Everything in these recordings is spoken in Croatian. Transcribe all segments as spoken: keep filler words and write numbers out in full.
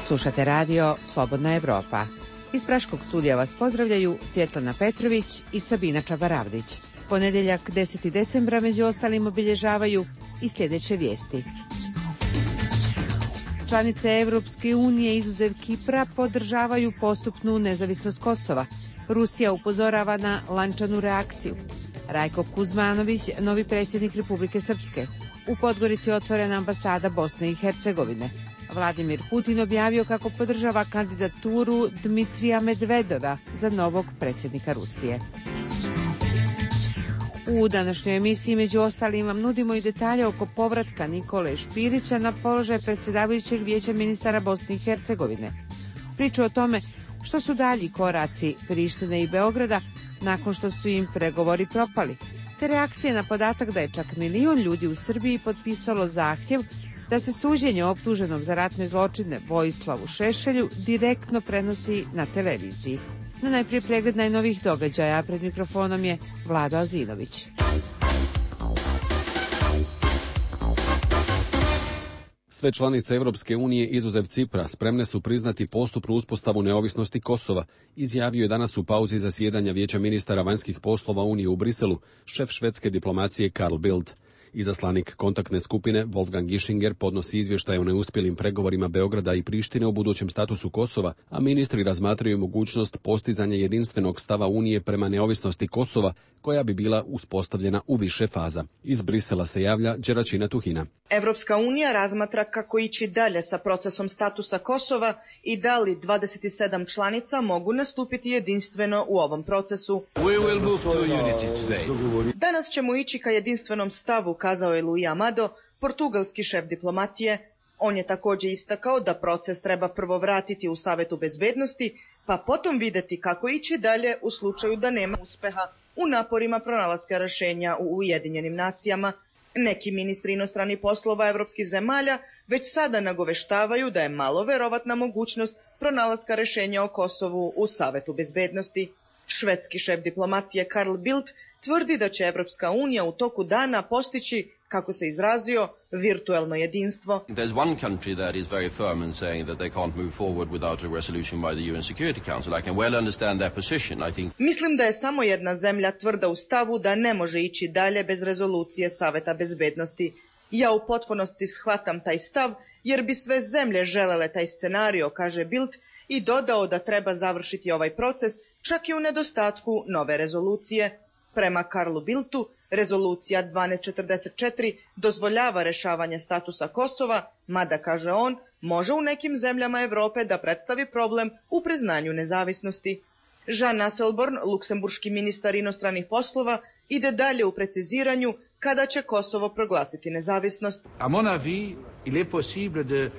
Slušate radio Slobodna Evropa. Iz Praškog studija vas pozdravljaju Svjetlana Petrović i Sabina Čabaravdić. Ponedeljak deseti decembra među ostalim obilježavaju i sljedeće vijesti. Članice Evropske unije izuzev Kipra podržavaju postupnu nezavisnost Kosova. Rusija upozorava na lančanu reakciju. Rajko Kuzmanović, novi predsjednik Republike Srpske. U Podgorici otvorena ambasada Bosne i Hercegovine. Vladimir Putin objavio kako podržava kandidaturu Dmitrija Medvedova za novog predsjednika Rusije. U današnjoj emisiji među ostalim vam nudimo i detalje oko povratka Nikole Špirića na položaj predsjedavajućeg vijeća ministara Bosne i Hercegovine. Priču o tome što su dalji koraci Prištine i Beograda nakon što su im pregovori propali, te reakcije na podatak da je čak milion ljudi u Srbiji potpisalo zahtjev da se suđenje optuženom za ratne zločine Vojislavu Šešelju direktno prenosi na televiziji. No najprije pregled najnovijih događaja, a pred mikrofonom je Vlado Azinović. Sve članice Evropske unije izuzev Cipra spremne su priznati postupnu uspostavu neovisnosti Kosova, izjavio je danas u pauzi zasjedanja Vijeća ministara vanjskih poslova Unije u Briselu šef švedske diplomacije Carl Bildt. Izaslanik kontaktne skupine Wolfgang Ischinger podnosi izvještaj o neuspjelim pregovorima Beograda i Prištine o budućem statusu Kosova, a ministri razmatraju mogućnost postizanja jedinstvenog stava Unije prema neovisnosti Kosova, koja bi bila uspostavljena u više faza. Iz Brisela se javlja Đeračina Tuhina. Evropska unija razmatra kako ići dalje sa procesom statusa Kosova i da li dvadeset sedam članica mogu nastupiti jedinstveno u ovom procesu. We will move to unity today. Danas ćemo ići ka jedinstvenom stavu, kazao je Luis Amado, portugalski šef diplomatije. On je također istakao da proces treba prvo vratiti u Savetu bezbednosti, pa potom vidjeti kako ići dalje u slučaju da nema uspeha u naporima pronalaska rješenja u Ujedinjenim nacijama. Neki ministri inostranih poslova evropskih zemalja već sada nagoveštavaju da je malo verovatna mogućnost pronalaska rješenja o Kosovu u Savetu bezbednosti. Švedski šef diplomatije Carl Bildt tvrdi da će Evropska unija u toku dana postići, kako se izrazio, virtuelno jedinstvo. There's one country that is very firm in saying that they can't move forward without a resolution by the U N Security Council. I can well understand their position, I think. Mislim da je samo jedna zemlja tvrda u stavu da ne može ići dalje bez rezolucije Saveta bezbednosti. Ja u potpunosti shvatam taj stav, jer bi sve zemlje želele taj scenario, kaže Bildt, i dodao da treba završiti ovaj proces čak i u nedostatku nove rezolucije. Prema Karlu Bildtu, rezolucija dvanaest četrdeset četiri dozvoljava rješavanje statusa Kosova, mada, kaže on, može u nekim zemljama Europe da predstavi problem u priznanju nezavisnosti. Jean Asselborn, luksemburški ministar inostranih poslova, ide dalje u preciziranju kada će Kosovo proglasiti nezavisnost. A mon avis, il est possible de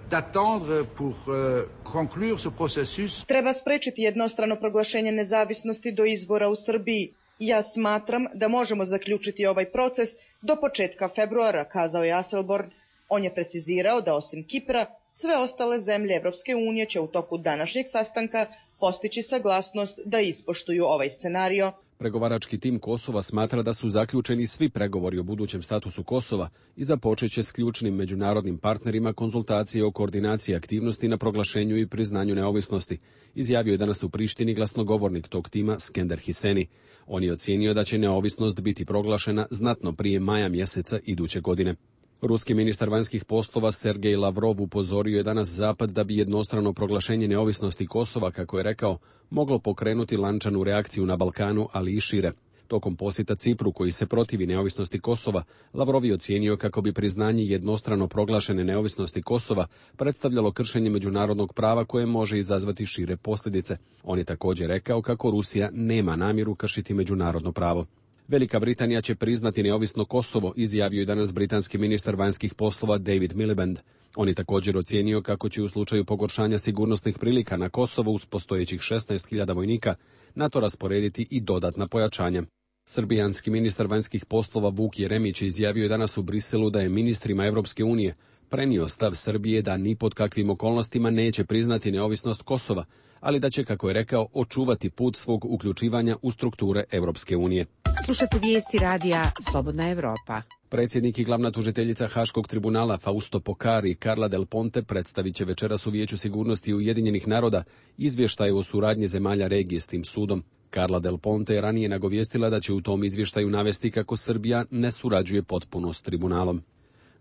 d'attendre pour uh, conclure ce processus. Treba sprečiti jednostrano proglašenje nezavisnosti do izbora u Srbiji. Ja smatram da možemo zaključiti ovaj proces do početka februara, kazao je Asselborn. On je precizirao da osim Kipra, sve ostale zemlje Evropske unije će u toku današnjeg sastanka postići saglasnost da ispoštuju ovaj scenario. Pregovarački tim Kosova smatra da su zaključeni svi pregovori o budućem statusu Kosova i započet će s ključnim međunarodnim partnerima konzultacije o koordinaciji aktivnosti na proglašenju i priznanju neovisnosti, izjavio je danas u Prištini glasnogovornik tog tima Skender Hiseni. On je ocijenio da će neovisnost biti proglašena znatno prije maja mjeseca iduće godine. Ruski ministar vanjskih poslova Sergej Lavrov upozorio je danas Zapad da bi jednostrano proglašenje neovisnosti Kosova, kako je rekao, moglo pokrenuti lančanu reakciju na Balkanu, ali i šire. Tokom posjeta Cipru, koji se protivi neovisnosti Kosova, Lavrov je ocijenio kako bi priznanje jednostrano proglašene neovisnosti Kosova predstavljalo kršenje međunarodnog prava koje može izazvati šire posljedice. On je također rekao kako Rusija nema namjeru kršiti međunarodno pravo. Velika Britanija će priznati neovisno Kosovo, izjavio je danas britanski ministar vanjskih poslova David Miliband. On je također ocijenio kako će u slučaju pogoršanja sigurnosnih prilika na Kosovo uz postojećih šesnaest hiljada vojnika NATO rasporediti i dodatna pojačanja. Srbijanski ministar vanjskih poslova Vuk Jeremić izjavio je danas u Briselu da je ministrima Evropske unije prenio stav Srbije da ni pod kakvim okolnostima neće priznati neovisnost Kosova, ali da će, kako je rekao, očuvati put svog uključivanja u strukture Europske unije. Slušate vijesti radija Slobodna Evropa. Predsjednik i glavna tužiteljica Haškog tribunala Fausto Pokari i Carla Del Ponte predstavit će večeras u Vijeću sigurnosti Ujedinjenih naroda izvještaj o suradnji zemalja regije s tim sudom. Carla Del Ponte je ranije nagovijestila da će u tom izvještaju navesti kako Srbija ne surađuje potpuno s tribunalom.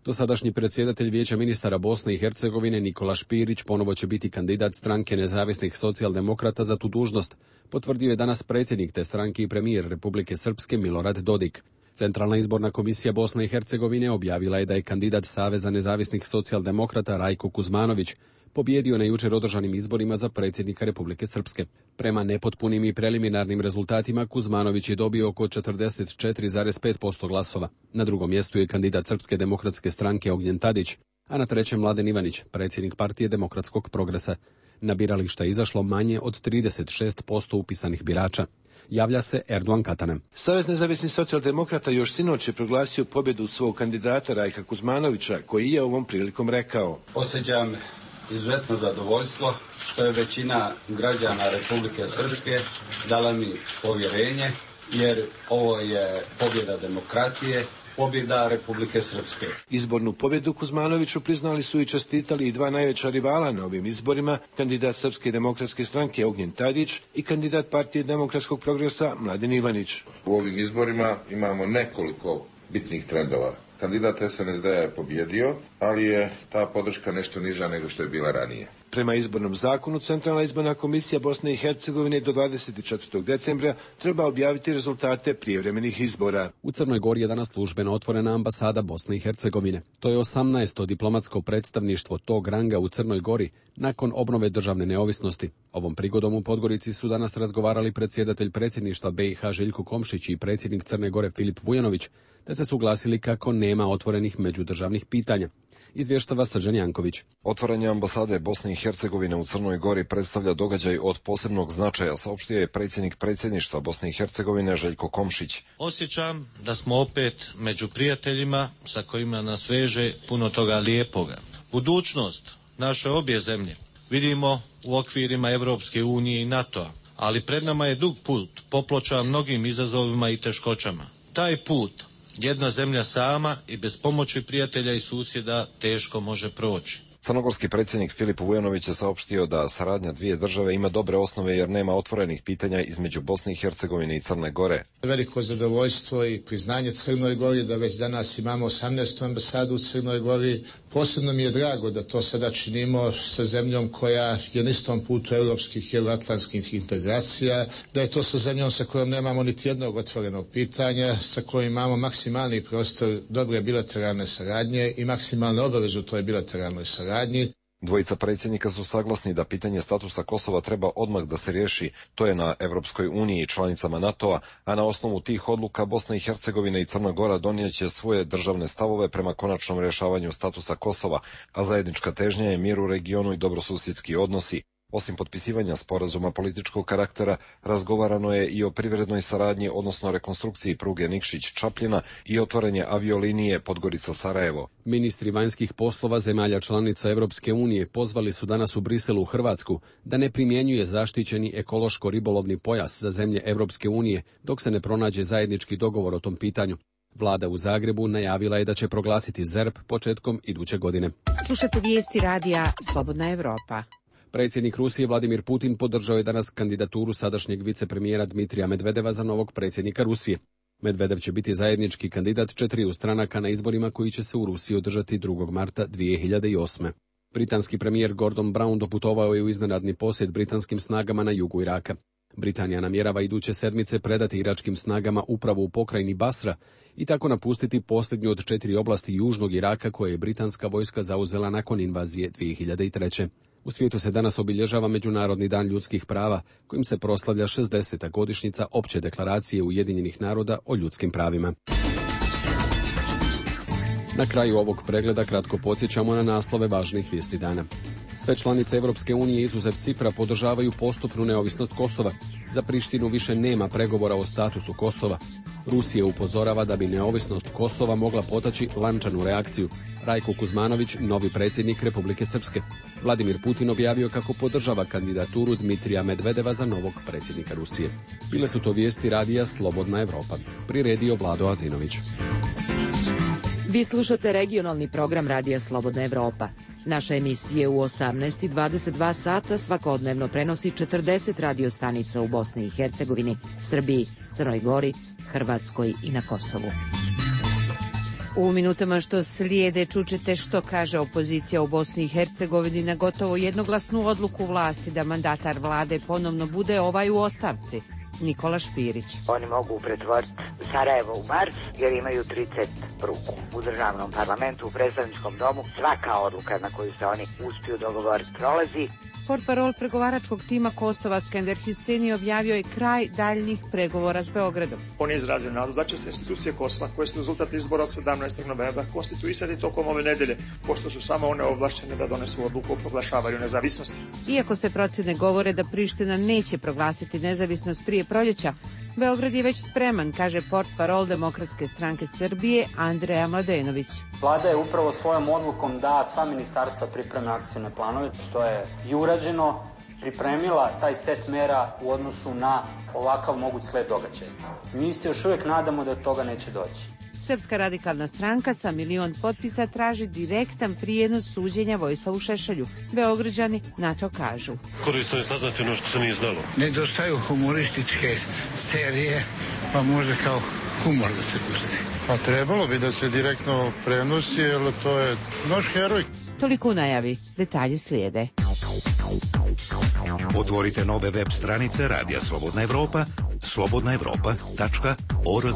Dosadašnji predsjedatelj Vijeća ministara Bosne i Hercegovine Nikola Špirić ponovo će biti kandidat stranke nezavisnih socijaldemokrata za tu dužnost, potvrdio je danas predsjednik te stranke i premijer Republike Srpske Milorad Dodik. Centralna izborna komisija Bosne i Hercegovine objavila je da je kandidat Saveza nezavisnih socijaldemokrata Rajko Kuzmanović pobijedio na jučer održanim izborima za predsjednika Republike Srpske. Prema nepotpunim i preliminarnim rezultatima Kuzmanović je dobio oko četrdeset četiri zarez pet posto glasova. Na drugom mjestu je kandidat Srpske demokratske stranke Ognjen Tadić, a na trećem Mladen Ivanić, predsjednik partije Demokratskog progresa. Na birališta je izašlo manje od trideset šest posto upisanih birača. Javlja se Erdogan Katanem. Savez nezavisnih socijaldemokrata još sinoć je proglasio pobjedu svog kandidata Rajka Kuzmanovića, koji je ovom prilikom rekao: Osjećam izuzetno zadovoljstvo što je većina građana Republike Srpske dala mi povjerenje, jer ovo je pobjeda demokratije, pobjeda Republike Srpske. Izbornu pobjedu Kuzmanoviću priznali su i čestitali i dva najveća rivala na ovim izborima, kandidat Srpske demokratske stranke Ognjen Tadić i kandidat partije Demokratskog progresa Mladen Ivanić. U ovim izborima imamo nekoliko bitnih trendova. Kandidat S N S D je pobjedio, ali je ta podrška nešto niža nego što je bila ranije. Prema izbornom zakonu, Centralna izborna komisija Bosne i Hercegovine do dvadeset četvrtog decembra treba objaviti rezultate prijevremenih izbora. U Crnoj Gori je danas službeno otvorena ambasada Bosne i Hercegovine. To je osamnaesto diplomatsko predstavništvo tog ranga u Crnoj Gori nakon obnove državne neovisnosti. Ovom prigodom u Podgorici su danas razgovarali predsjedatelj predsjedništva B i H Željko Komšić i predsjednik Crne Gore Filip Vujanović, te se suglasili kako nema otvorenih međudržavnih pitanja. Izvještava Srđan Janković. Otvaranje ambasade Bosne i Hercegovine u Crnoj Gori predstavlja događaj od posebnog značaja, saopštio je predsjednik predsjedništva Bosne i Hercegovine Željko Komšić. Osjećam da smo opet među prijateljima sa kojima nas veže puno toga lijepoga. Budućnost naše obje zemlje vidimo u okvirima Europske unije i NATO-a, ali pred nama je dug put, popločan mnogim izazovima i teškoćama. Taj put jedna zemlja sama i bez pomoći prijatelja i susjeda teško može proći. Crnogorski predsjednik Filip Vujanović je saopštio da saradnja dvije države ima dobre osnove jer nema otvorenih pitanja između Bosne i Hercegovine i Crne Gore. Veliko zadovoljstvo i priznanje Crnoj Gori da već danas imamo osamnaestu ambasadu u Crnoj Gori. Posebno mi je drago da to sada činimo sa zemljom koja je na istom putu europskih i euroatlantskih integracija, da je to sa zemljom sa kojom nemamo niti jednog otvorenog pitanja, sa kojom imamo maksimalni prostor dobre bilateralne saradnje i maksimalne obaveze u toj bilateralnoj saradnji. Dvojica predsjednika su saglasni da pitanje statusa Kosova treba odmah da se riješi, to je na Europskoj uniji i članicama NATO-a, a na osnovu tih odluka Bosna i Hercegovina i Crna Gora donijet će svoje državne stavove prema konačnom rješavanju statusa Kosova, a zajednička težnja je mir u regionu i dobrosusjedski odnosi. Osim potpisivanja sporazuma političkog karaktera, razgovarano je i o privrednoj saradnji, odnosno rekonstrukciji pruge Nikšić-Čapljina i otvaranje aviolinije Podgorica-Sarajevo. Ministri vanjskih poslova zemalja članica Europske unije pozvali su danas u Briselu u Hrvatsku da ne primjenjuje zaštićeni ekološko-ribolovni pojas za zemlje Europske unije dok se ne pronađe zajednički dogovor o tom pitanju. Vlada u Zagrebu najavila je da će proglasiti Z E R P početkom iduće godine. Slušate vijesti radija Slobodna Evropa. Predsjednik Rusije Vladimir Putin podržao je danas kandidaturu sadašnjeg vicepremijera Dmitrija Medvedeva za novog predsjednika Rusije. Medvedev će biti zajednički kandidat četiriju stranaka na izborima koji će se u Rusiji održati drugog marta dvije hiljade osme. Britanski premijer Gordon Brown doputovao je u iznenadni posjet britanskim snagama na jugu Iraka. Britanija namjerava iduće sedmice predati iračkim snagama upravu u pokrajini Basra i tako napustiti posljednju od četiri oblasti južnog Iraka koje je britanska vojska zauzela nakon invazije dvije hiljade treće. U svijetu se danas obilježava Međunarodni dan ljudskih prava, kojim se proslavlja šezdeseta godišnjica Opće deklaracije Ujedinjenih naroda o ljudskim pravima. Na kraju ovog pregleda kratko podsjećamo na naslove važnih vijesti dana. Sve članice Europske unije izuzev Cipra podržavaju postupnu neovisnost Kosova. Za Prištinu više nema pregovora o statusu Kosova. Rusija upozorava da bi neovisnost Kosova mogla potaći lančanu reakciju. Rajko Kuzmanović, novi predsjednik Republike Srpske. Vladimir Putin objavio kako podržava kandidaturu Dmitrija Medvedeva za novog predsjednika Rusije. Bile su to vijesti radija Slobodna Evropa. Priredio Vlado Azinović. Vi slušate regionalni program radija Slobodna Evropa. Naše emisije u osamnaest i dvadeset dva sata svakodnevno prenosi četrdeset radio stanica u Bosni i Hercegovini, Srbiji, Crnoj Gori, Hrvatskoj i na Kosovu. U minutama što slijede čućete što kaže opozicija u Bosni i Hercegovini na gotovo jednoglasnu odluku vlasti da mandatar vlade ponovno bude ovaj u ostavci. Nikola Špirić. Oni mogu pretvoriti Sarajevo u Mars jer imaju trideset ruku. U državnom parlamentu, u predstavničkom domu, svaka odluka na koju se oni uspiju dogovoriti prolazi. Portparol pregovaračkog tima Kosova Skender Husseini objavio je kraj daljnjih pregovora s Beogradom. On je izrazio nadu da će se institucije Kosova, koje su rezultat izbora sedamnaestog novembra, konstituisati tokom ove nedelje, pošto su samo one ovlašćene da donesu odluku o proglašavanju nezavisnosti. Iako se procjene govore da Priština neće proglasiti nezavisnost prije proljeća, Beograd je već spreman, kaže portparol Demokratske stranke Srbije Andreja Mladenović. Vlada je upravo svojom odlukom da sva ministarstva pripreme akcijne planove, što je i urađeno, pripremila taj set mera u odnosu na ovakav moguć sled događaja. Mi se još uvijek nadamo da toga neće doći. Srpska radikalna stranka sa milion potpisa traži direktan prijenos suđenja Vojislavu Šešelju. Beograđani na to kažu. Korisno je saznati ono što se nije znalo. Nedostaju humorističke serije, pa može kao humor da se pusti. Pa trebalo bi da se direktno prenosi, jer to je naš heroj. Toliko u najavi, detalji slijede. Otvorite nove web stranice Radija Slobodna Evropa, slobodna evropa tačka org.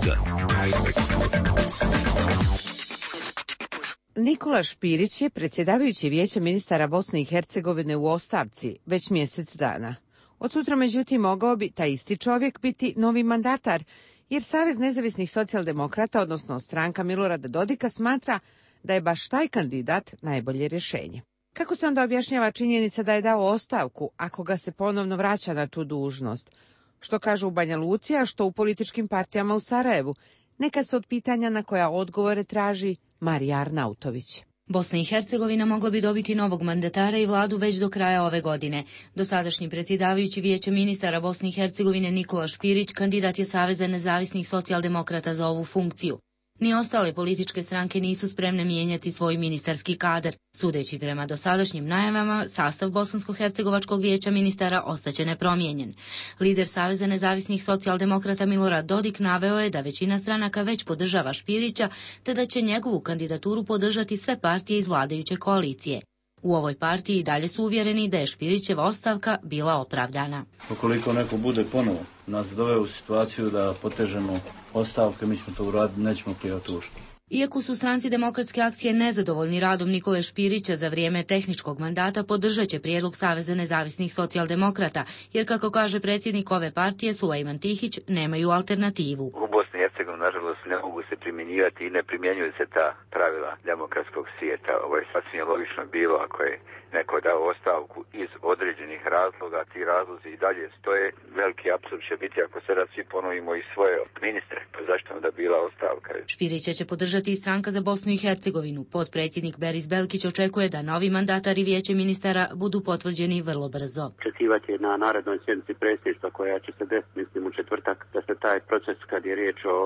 Nikola Špirić je predsjedavajući Vijeća ministara Bosne i Hercegovine u ostavci već mjesec dana. Od sutra, međutim, mogao bi taj isti čovjek biti novi mandatar, jer Savez nezavisnih socijaldemokrata, odnosno stranka Milorada Dodika, smatra da je baš taj kandidat najbolje rješenje. Kako se onda objašnjava činjenica da je dao ostavku ako ga se ponovno vraća na tu dužnost? Što kažu u Banja Luci, a što u političkim partijama u Sarajevu? Neka se od pitanja na koja odgovore traži Marija Arnautović. Bosna i Hercegovina mogla bi dobiti novog mandatara i vladu već do kraja ove godine. Dosadašnji predsjedavajući Vijeća ministara Bosne i Hercegovine Nikola Špirić kandidat je Saveza nezavisnih socijaldemokrata za ovu funkciju. Ni ostale političke stranke nisu spremne mijenjati svoj ministarski kadar. Sudeći prema dosadašnjim najavama, sastav Bosansko-hercegovačkog vijeća ministara ostaće nepromijenjen. Lider Saveza nezavisnih socijaldemokrata Milorad Dodik naveo je da većina stranaka već podržava Špirića, te da će njegovu kandidaturu podržati sve partije iz vladajuće koalicije. U ovoj partiji dalje su uvjereni da je Špirićeva ostavka bila opravdana. Ukoliko neko bude ponovo nas doveo u situaciju da potežemo ostavke, mi ćemo to uraditi, nećemo prijaviti ušli. Iako su stranci Demokratske akcije nezadovoljni radom Nikole Špirića za vrijeme tehničkog mandata, podržat će prijedlog Saveza nezavisnih socijaldemokrata, jer kako kaže predsjednik ove partije Sulejman Tihić, nemaju alternativu. U Bosni i Hercegovini, nažalost, ne mogu se primjenjivati i ne primjenjuju se ta pravila demokratskog svijeta. Ovo je sasvim logično bilo ako je neko dao ostavku iz određenih razloga, ti razlozi i dalje stoje. Veliki apsurd će biti ako sada svi ponovimo i svoje ministre, pa zašto onda bila ostavka? Špirića će podržati i stranka za Bosnu i Hercegovinu. Potpredsjednik Beris Belkić očekuje da novi mandatar i Vijeće ministara budu potvrđeni vrlo brzo. Očekivati je na narednoj sjednici predsjedništva koja će se desiti, mislim, u četvrtak, da se taj proces, kad je riječ o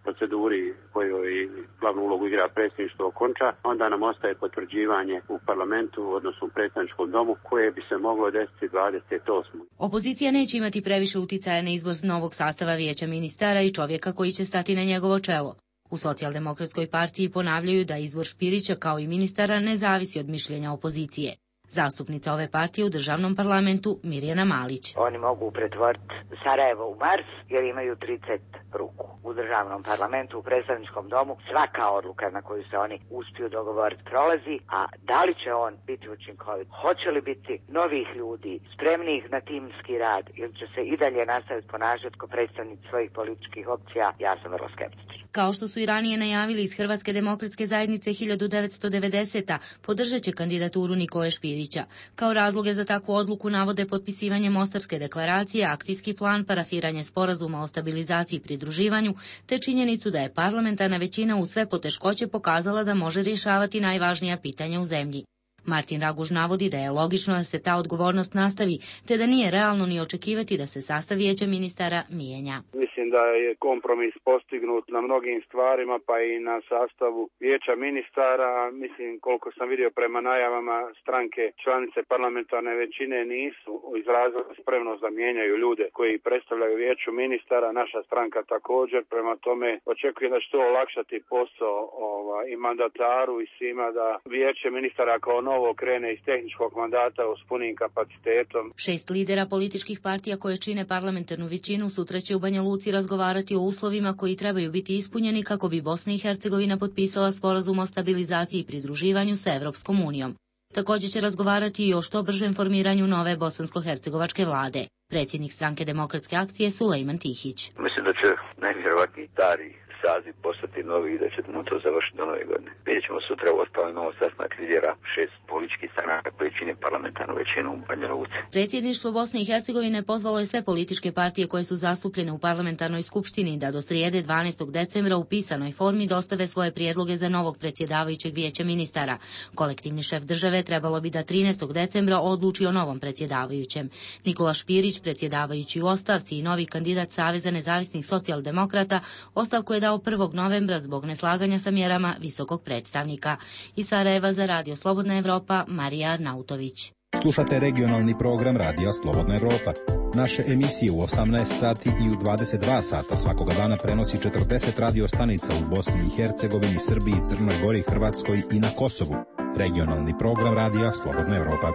proceduri kojoj glavnu ulogu igra predsjedništvo, okonča, onda nam ostaje potvrđivanje u parlamentu, odnosno u predstavničkom domu, koje bi se moglo desiti dvadeset osmog Opozicija neće imati previše uticaja na izbor novog sastava Vijeća ministara i čovjeka koji će stati na njegovo čelo. U Socijaldemokratskoj partiji ponavljaju da izbor Špirića kao i ministara ne zavisi od mišljenja opozicije. Zastupnica ove partije u državnom parlamentu Mirjana Malić. Oni mogu pretvoriti Sarajevo u Mars jer imaju trideset ruku. U državnom parlamentu, u predstavničkom domu, svaka odluka na koju se oni uspiju dogovoriti prolazi, a da li će on biti učinkovit? Hoće li biti novih ljudi, spremnih na timski rad ili će se i dalje nastaviti ponašati kao predstavnici svojih političkih opcija? Ja sam vrlo skeptičan. Kao što su i ranije najavili iz Hrvatske demokratske zajednice hiljadu devetsto devedesete. podržat će kandidaturu Nikole Špirića. Kao razloge za takvu odluku navode potpisivanje Mostarske deklaracije, akcijski plan, parafiranje sporazuma o stabilizaciji i pridruživanju, te činjenicu da je parlamentarna većina u sve poteškoće pokazala da može rješavati najvažnija pitanja u zemlji. Martin Raguž navodi da je logično da se ta odgovornost nastavi, te da nije realno ni očekivati da se sastav vijeća ministara mijenja. Mislim da je kompromis postignut na mnogim stvarima, pa i na sastavu vijeća ministara. Mislim, koliko sam vidio prema najavama, stranke članice parlamentarne većine nisu izrazile spremnost da mijenjaju ljude koji predstavljaju vijeću ministara. Naša stranka također, prema tome očekujem da će to olakšati posao ova, i mandataru i svima, da vijeće ministara kao novo krene iz tehničkog mandata s punim kapacitetom. Šest lidera političkih partija koje čine parlamentarnu većinu sutra će u Banja Luci razgovarati o uslovima koji trebaju biti ispunjeni kako bi Bosna i Hercegovina potpisala sporazum o stabilizaciji i pridruživanju sa Evropskom unijom. Također će razgovarati i o što bržem formiranju nove bosansko-hercegovačke vlade. Predsjednik stranke Demokratske akcije Sulejman Tihić. Mislim da će najvjerovatniji stari saziv postati novi i da ćemo to završiti do nove godine. Vidjet ćemo sutra, u ostalom imamo sastanak lidera šest političkih stranaka koji čine parlamentarnu većinu u Banja Luci. Predsjedništvo Bosne i Hercegovine pozvalo je sve političke partije koje su zastupljene u parlamentarnoj skupštini da do srijede dvanaestog decembra u pisanoj formi dostave svoje prijedloge za novog predsjedavajućeg vijeća ministara. Kolektivni šef države trebalo bi da trinaestog decembra odluči o novom predsjedavajućem. Nikola Špirić, predsjedavajući u ostavci i novi kandidat Saveza nezavisnih socijaldemokrata, ostavku je dao prvog novembra zbog neslaganja sa mjerama visokog predstavnika. Iz Sarajeva za Radio Slobodna Evropa, Marija Arnautović. Slušate regionalni program Radija Slobodna Evropa. Naše emisije u osamnaest sati i u dvadeset dva sata svakoga dana prenosi četrdeset radio stanica u Bosni i Hercegovini, Srbiji, Crnoj Gori, Hrvatskoj i na Kosovu. Regionalni program Radija Slobodna Evropa.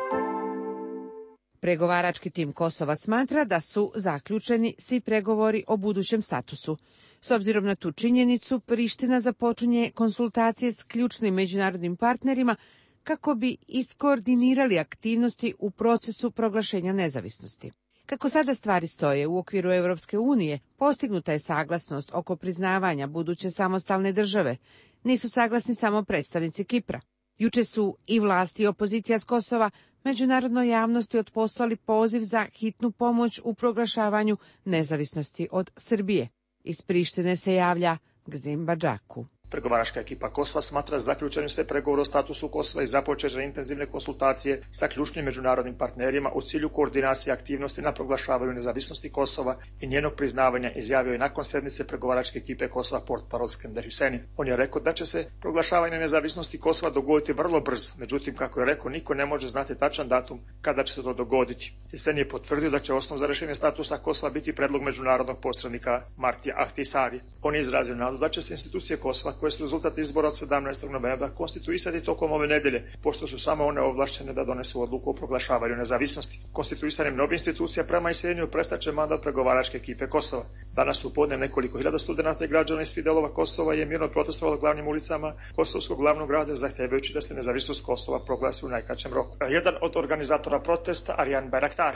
Pregovarački tim Kosova smatra da su zaključeni svi pregovori o budućem statusu. S obzirom na tu činjenicu, Priština započinje konsultacije s ključnim međunarodnim partnerima kako bi iskoordinirali aktivnosti u procesu proglašenja nezavisnosti. Kako sada stvari stoje u okviru Europske unije, postignuta je saglasnost oko priznavanja buduće samostalne države. Nisu saglasni samo predstavnici Kipra. Juče su i vlasti i opozicija s Kosova međunarodnoj javnosti otposlali poziv za hitnu pomoć u proglašavanju nezavisnosti od Srbije. Iz Prištine se javlja Gzim Badžaku. Pregovaračka ekipa Kosova smatra zaključenim sve pregovore o statusu Kosova i započeće intenzivne konsultacije sa ključnim međunarodnim partnerima u cilju koordinacije aktivnosti na proglašavanju nezavisnosti Kosova i njenog priznavanja, izjavio je nakon sednice pregovaračke ekipe Kosova portparol Skender Hüseyin. On je rekao da će se proglašavanje nezavisnosti Kosova dogoditi vrlo brzo, međutim, kako je rekao, niko ne može znati tačan datum kada će se to dogoditi. Hüseyin je potvrdio da će osnov za rješenje statusa Kosova biti predlog međunarodnog posrednika Martija Ahtisari. On je izrazio nadu da će se institucije Kosova, koje su rezultat izbora od sedamnaestog novembra, konstituisati tokom ove nedelje, pošto su samo one ovlaštene da donesu odluku o proglašavanju nezavisnosti. Konstituisanjem nove institucija prema iseljenju prestaće mandat pregovaračke ekipe Kosova. Danas u podne nekoliko hiljada studenata i građana iz svih delova Kosova je mirno protestovalo glavnim ulicama kosovskog glavnog grada, zahtevajući da se nezavisnost Kosova proglasi u najkraćem roku. Jedan od organizatora protesta, Arjan Bayraktar.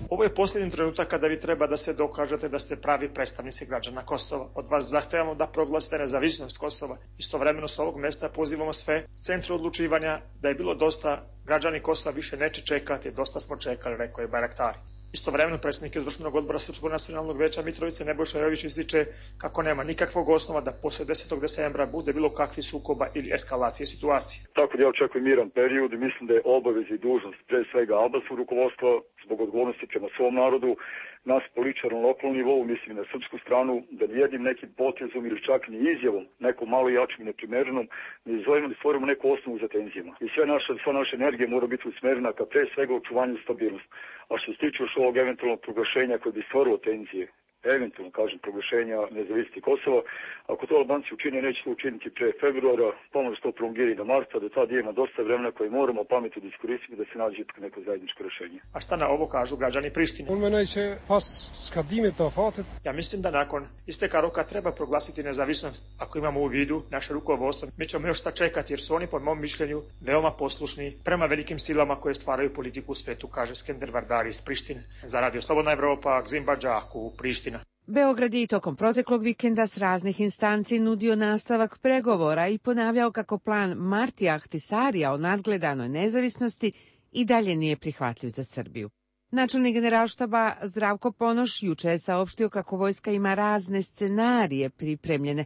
Ovo je posljednji trenutak kada vi treba da se dokažete da ste pravi predstavnici građana Kosova. Od vas zahtevamo da proglasite nezavisnost Kosova. Istovremeno s ovog mjesta pozivamo sve centre odlučivanja da je bilo dosta, građani Kosova više neće čekati, dosta smo čekali, rekao je Bayraktar. Istovremeno predsjednik izvršnog odbora Srpskog nacionalnog veća Mitrovice Nebojša Jović ističe kako nema nikakvog osnova da poslije desetog decembra bude bilo kakvi sukoba ili eskalacije situacije. Tako da ja očekujem miran period i mislim da je obaveza i dužnost pre svega albanskog rukovodstva zbog odgovornosti prema svom narodu, nas političara na lokalnom nivou, mislim na srpsku stranu, da nijednim nekim potezom ili čak ni izjavom, nekom malo jačim i neprimerenom, ne izvojimo da stvorimo neku osnovu za tenzijama. I sve naše, sva naša energija mora biti usmerena ka pre svega očuvanju stabilnosti. A što se tiče još ovog eventualnog proglašenja koje bi stvorilo tenzije, eventualno, kažem, proglašenja nezavisnosti Kosova. Ako to Albanci učine, neće to učiniti pre februara, pomoć to prolongirati do marta, do tada ima dosta vremena koje moramo pametno da iskoristiti da se nađe neko zajedničko rešenje. A šta na ovo kažu građani Prištine? Ja mislim da nakon isteka roka treba proglasiti nezavisnost. Ako imamo u vidu naše rukovodstvo, mi ćemo još sačekati jer su oni po mom mišljenju veoma poslušni prema velikim silama koje stvaraju politiku u svetu, kaže Skender Vardari iz Prištine. Za Radio Slobodna Evropa, Gzimba Džaku, Priština. Beograd je i tokom proteklog vikenda s raznih instanci nudio nastavak pregovora i ponavljao kako plan Martija Ahtisarija o nadgledanoj nezavisnosti i dalje nije prihvatljiv za Srbiju. Načelnik Generalštaba Zdravko Ponoš juče je saopštio kako vojska ima razne scenarije pripremljene,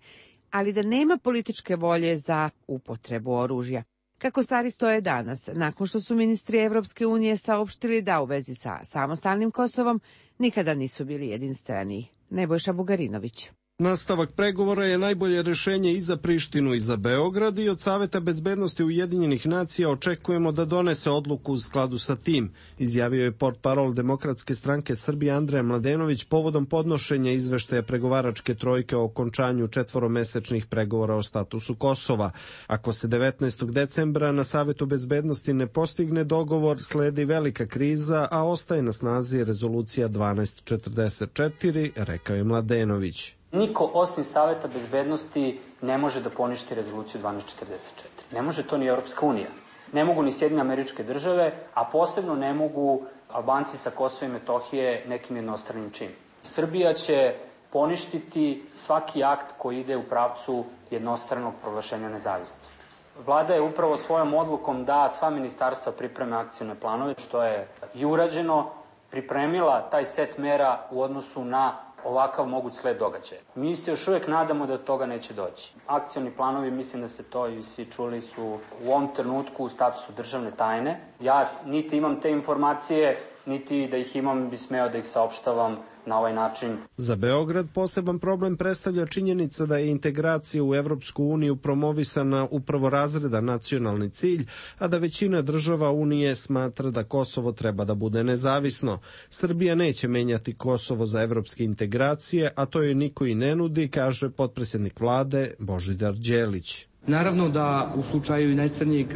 ali da nema političke volje za upotrebu oružja. Kako stvari stoje danas, nakon što su ministri Evropske unije saopštili da u vezi sa samostalnim Kosovom nikada nisu bili jedinstveni. Nebojša Bugarinović. Nastavak pregovora je najbolje rešenje i za Prištinu i za Beograd i od Saveta bezbednosti Ujedinjenih nacija očekujemo da donese odluku u skladu sa tim, izjavio je portparol Demokratske stranke Srbije Andreja Mladenović povodom podnošenja izveštaja pregovaračke trojke o okončanju četvoromesečnih pregovora o statusu Kosova. Ako se devetnaestog decembra na Savetu bezbednosti ne postigne dogovor, sledi velika kriza, a ostaje na snazi rezolucija dvanaest četrdeset četiri, rekao je Mladenović. Niko osim Saveta bezbednosti ne može da poništi rezoluciju dvanaest četrdeset četiri. Ne može to ni Europska unija. Ne mogu ni Sjedinjene Američke Države, a posebno ne mogu Albanci sa Kosova i Metohije nekim jednostranim činom. Srbija će poništiti svaki akt koji ide u pravcu jednostranog proglašenja nezavisnosti. Vlada je upravo svojom odlukom da sva ministarstva pripreme akcione planove, što je i urađeno, pripremila taj set mera u odnosu na ovakav moguć sled događaja. Mi se još uvijek nadamo da toga neće doći. Akcioni planovi, mislim da ste to i svi čuli, su u ovom trenutku u statusu državne tajne. Ja niti imam te informacije, niti da ih imam bi smeo da ih saopštavam na ovaj način. Za Beograd poseban problem predstavlja činjenica da je integracija u Evropsku uniju promovisana upravo razredan nacionalni cilj, a da većina država Unije smatra da Kosovo treba da bude nezavisno. Srbija neće menjati Kosovo za evropske integracije, a to joj niko i ne nudi, kaže potpredsjednik vlade Božidar Đelić. Naravno da u slučaju najcrnijeg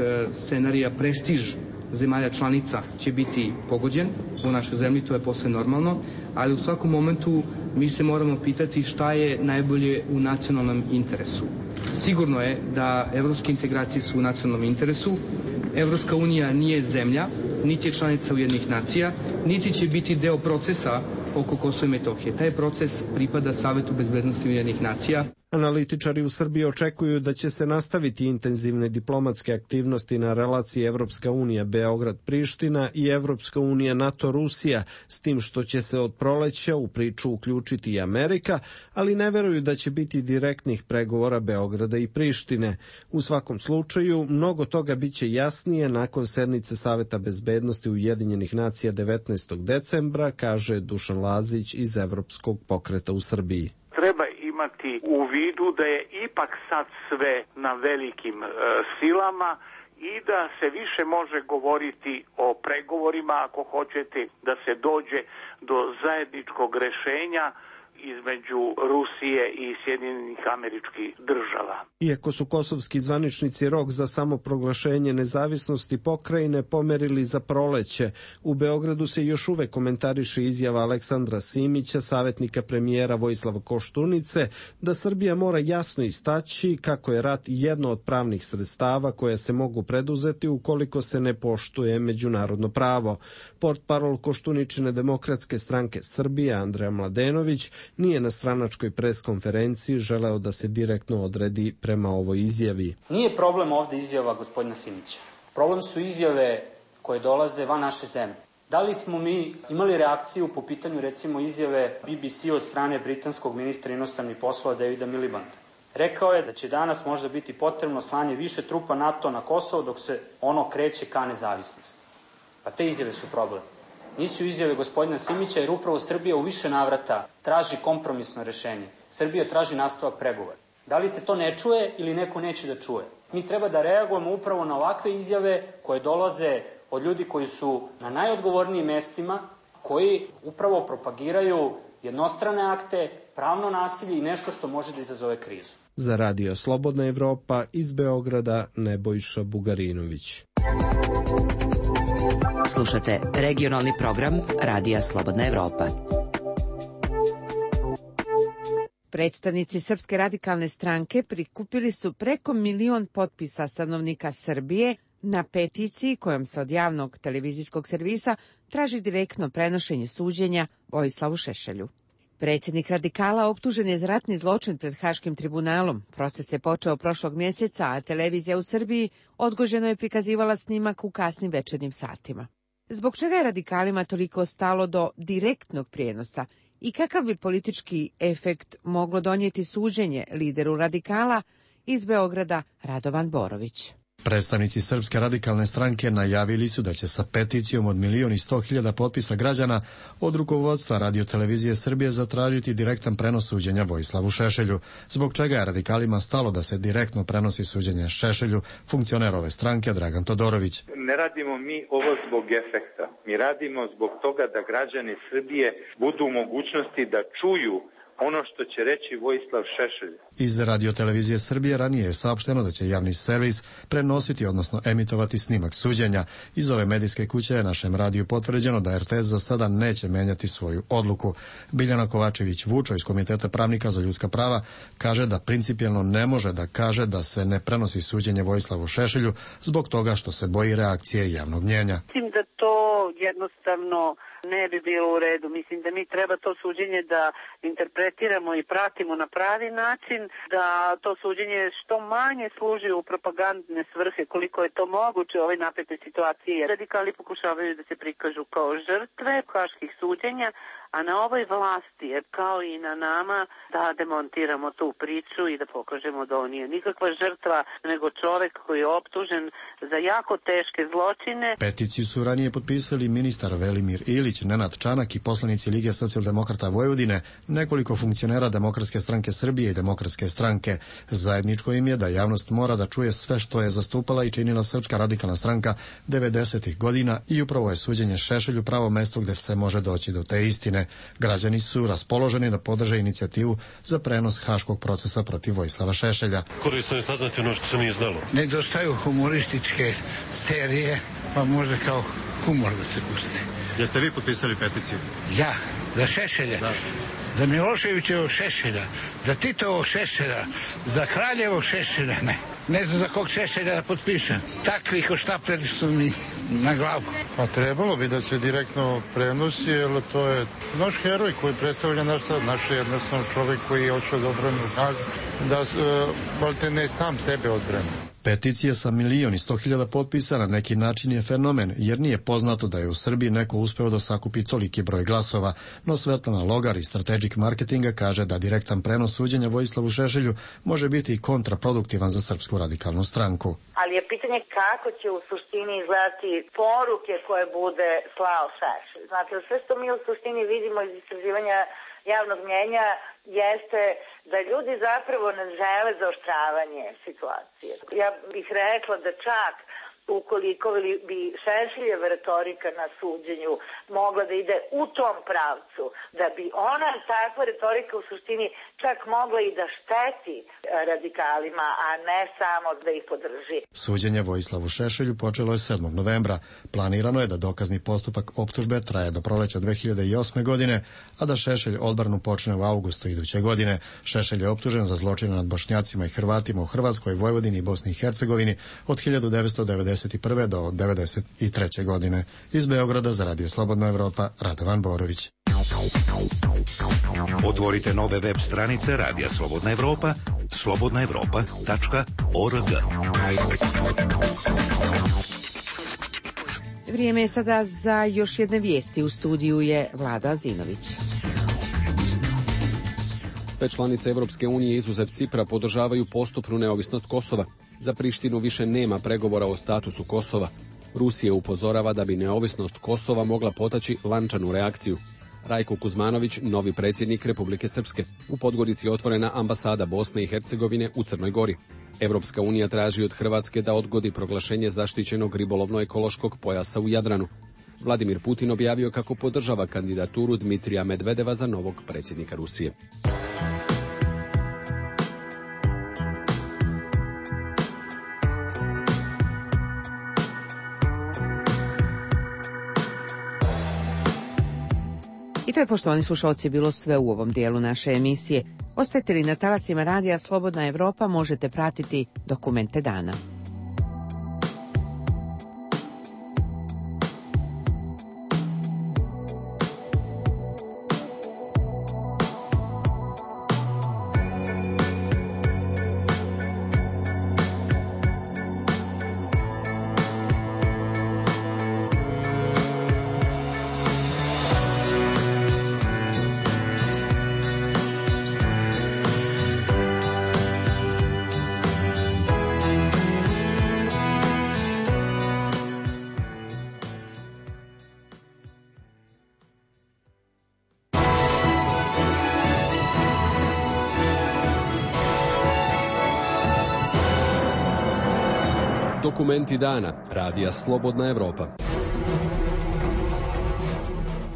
scenarija prestiž zemalja članica će biti pogođen u našoj zemlji, to je posve normalno, ali u svakom momentu mi se moramo pitati šta je najbolje u nacionalnom interesu. Sigurno je da evropske integracije su u nacionalnom interesu. Evropska unija nije zemlja, niti je članica Ujedinjenih nacija, niti će biti deo procesa oko Kosova i Metohije. Taj proces pripada Savetu bezbednosti Ujedinjenih nacija. Analitičari u Srbiji očekuju da će se nastaviti intenzivne diplomatske aktivnosti na relaciji Evropska unija Beograd-Priština i Evropska unija NATO-Rusija, s tim što će se od proleća u priču uključiti i Amerika, ali ne veruju da će biti direktnih pregovora Beograda i Prištine. U svakom slučaju, mnogo toga biće jasnije nakon sednice Saveta bezbednosti Ujedinjenih nacija devetnaestog decembra, kaže Dušan Lazić iz Evropskog pokreta u Srbiji. Treba imati u vidu da je ipak sad sve na velikim e, silama i da se više može govoriti o pregovorima, ako hoćete, da se dođe do zajedničkog rešenja između Rusije i Sjedinjenih Američkih Država. Iako su kosovski zvaničnici rok za samoproglašenje nezavisnosti pokrajine pomerili za proleće, u Beogradu se još uvek komentariše izjava Aleksandra Simića, savjetnika premijera Vojislava Koštunice, da Srbija mora jasno istaći kako je rat jedno od pravnih sredstava koja se mogu preduzeti ukoliko se ne poštuje međunarodno pravo. Portparol Koštuničine Demokratske stranke Srbije Andreja Mladenović nije na stranačkoj preskonferenciji želeo da se direktno odredi prema ovoj izjavi. Nije problem ovde izjava gospodina Simića. Problem su izjave koje dolaze van naše zemlje. Da li smo mi imali reakciju po pitanju recimo izjave B B C od strane britanskog ministra inostranih poslova Davida Milibanda? Rekao je da će danas možda biti potrebno slanje više trupa NATO na Kosovo dok se ono kreće ka nezavisnosti. Pa te izjave su problem. Nisu izjave gospodina Simića, jer upravo Srbija u više navrata traži kompromisno rešenje. Srbija traži nastavak pregovora. Da li se to ne čuje ili neko neće da čuje? Mi treba da reagujemo upravo na ovakve izjave koje dolaze od ljudi koji su na najodgovornijim mestima, koji upravo propagiraju jednostrane akte, pravno nasilje i nešto što može da izazove krizu. Za Radio Slobodna Evropa iz Beograda Nebojša Bugarinović. Slušate regionalni program Radija Slobodna Evropa. Predstavnici Srpske radikalne stranke prikupili su preko milion potpisa stanovnika Srbije na peticiji kojom se od javnog televizijskog servisa traži direktno prenošenje suđenja Vojislavu Šešelju. Predsjednik radikala optužen je za ratni zločin pred Haškim tribunalom. Proces je počeo prošlog mjeseca, a televizija u Srbiji odgođeno je prikazivala snimak u kasnim večernjim satima. Zbog čega je radikalima toliko stalo do direktnog prijenosa i kakav bi politički efekt moglo donijeti suđenje lideru radikala, iz Beograda Radovan Borović. Predstavnici Srpske radikalne stranke najavili su da će sa peticijom od milion i sto hiljada potpisa građana od rukovodstva Radio-televizije Srbije zatražiti direktan prenos suđenja Vojislavu Šešelju, zbog čega je radikalima stalo da se direktno prenosi suđenje Šešelju, funkcioner ove stranke Dragan Todorović. Ne radimo mi ovo zbog efekta. Mi radimo zbog toga da građani Srbije budu u mogućnosti da čuju ono što će reći Vojislav Šešelj. Iz Radio-televizije Srbije ranije je saopšteno da će javni servis prenositi, odnosno emitovati snimak suđenja. Iz ove medijske kuće je našem radiju potvrđeno da er te es za sada neće menjati svoju odluku. Biljana Kovačević-Vučo iz Komiteta pravnika za ljudska prava kaže da principijelno ne može da kaže da se ne prenosi suđenje Vojislavu Šešelju zbog toga što se boji reakcije javnog mnjenja. Mislim da to jednostavno ne bi bilo u redu. Mislim da mi treba to suđenje da interpretiramo i pratimo na pravi način, da to suđenje što manje služi u propagandne svrhe koliko je to moguće u ovoj napetoj situaciji. Radikali pokušavaju da se prikažu kao žrtve haških suđenja, a na ovoj vlasti je kao i na nama da demontiramo tu priču i da pokažemo da on nije nikakva žrtva, nego čovek koji je optužen za jako teške zločine. Peticiju su ranije potpisali ministar Velimir Ilić, Nenad Čanak i poslanici Lige socijaldemokrata Vojvodine, nekoliko funkcionera Demokratske stranke Srbije i Demokratske stranke. Zajedničko im je da javnost mora da čuje sve što je zastupala i činila Srpska radikalna stranka devedesetih godina i upravo je suđenje Šešelju pravo mesto gde se može doći do te istine. Građani su raspoloženi da podrže inicijativu za prenos haškog procesa protiv Vojislava Šešelja. Korisno je saznati ono što se nije znalo. Nedostaju humorističke serije, pa može kao humor da se pusti. Jeste vi potpisali peticiju? Ja, za Šešelja. Da. Za Miloševićevog Šešelja, za Titovog Šešelja, za Kraljevog Šešelja, ne. Ne znam za kog Šešelja da potpišem. Takvi hoštapleri su mi na glavu. Pa trebalo bi da se direktno prenosi, jer to je naš heroj koji predstavlja naš sad, naš jednostavno čovjek koji je hoće da odbrani Hag, da uh, ne sam sebe odbrani. Peticija sa milion i sto hiljada potpisa na neki način je fenomen, jer nije poznato da je u Srbiji neko uspeo da sakupi toliki broj glasova, no Svetlana Logar iz Strategic Marketinga kaže da direktan prenos suđenja Vojislavu Šešelju može biti kontraproduktivan za Srpsku radikalnu stranku. Ali je pitanje kako će u suštini izgledati poruke koje bude slao Šešelj. Znate, sve što mi u suštini vidimo iz istraživanja javnog mnjenja jeste da ljudi zapravo ne žele zaoštravanje situacije. Ja bih rekla da čak ukoliko bi Šešeljeva retorika na suđenju mogla da ide u tom pravcu, da bi ona takva retorika u suštini čak mogla i da šteti radikalima, a ne samo da ih podrži. Suđenje Vojislavu Šešelju počelo je sedmog novembra. Planirano je da dokazni postupak optužbe traje do proleća dve hiljade osme godine, a da Šešelj odbranu počne u avgustu iduće godine. Šešelj je optužen za zločine nad Bošnjacima i Hrvatima u Hrvatskoj, Vojvodini i Bosni i Hercegovini od hiljadu devetsto devedeset prve do devedeset treće godine. Iz Beograda za Radio Slobodna Evropa, Radovan Borović. Otvorite nove web stranice Radija Slobodna Evropa, slobodna evropa tačka org. Vrijeme je sada za još jedne vijesti. U studiju je Vlada Azinović. Sve članice Evropske unije izuzev Cipra podržavaju postupnu neovisnost Kosova. Za Prištinu više nema pregovora o statusu Kosova. Rusija upozorava da bi neovisnost Kosova mogla potaći lančanu reakciju. Rajko Kuzmanović, novi predsjednik Republike Srpske. U Podgorici je otvorena ambasada Bosne i Hercegovine u Crnoj Gori. Evropska unija traži od Hrvatske da odgodi proglašenje zaštićenog ribolovno-ekološkog pojasa u Jadranu. Vladimir Putin objavio kako podržava kandidaturu Dmitrija Medvedeva za novog predsjednika Rusije. I to je, poštovani slušalci, bilo sve u ovom dijelu naše emisije. Ostajete li na talasima radija Slobodna Evropa, možete pratiti Dokumente dana. Dokumenti dana, radija Slobodna Evropa.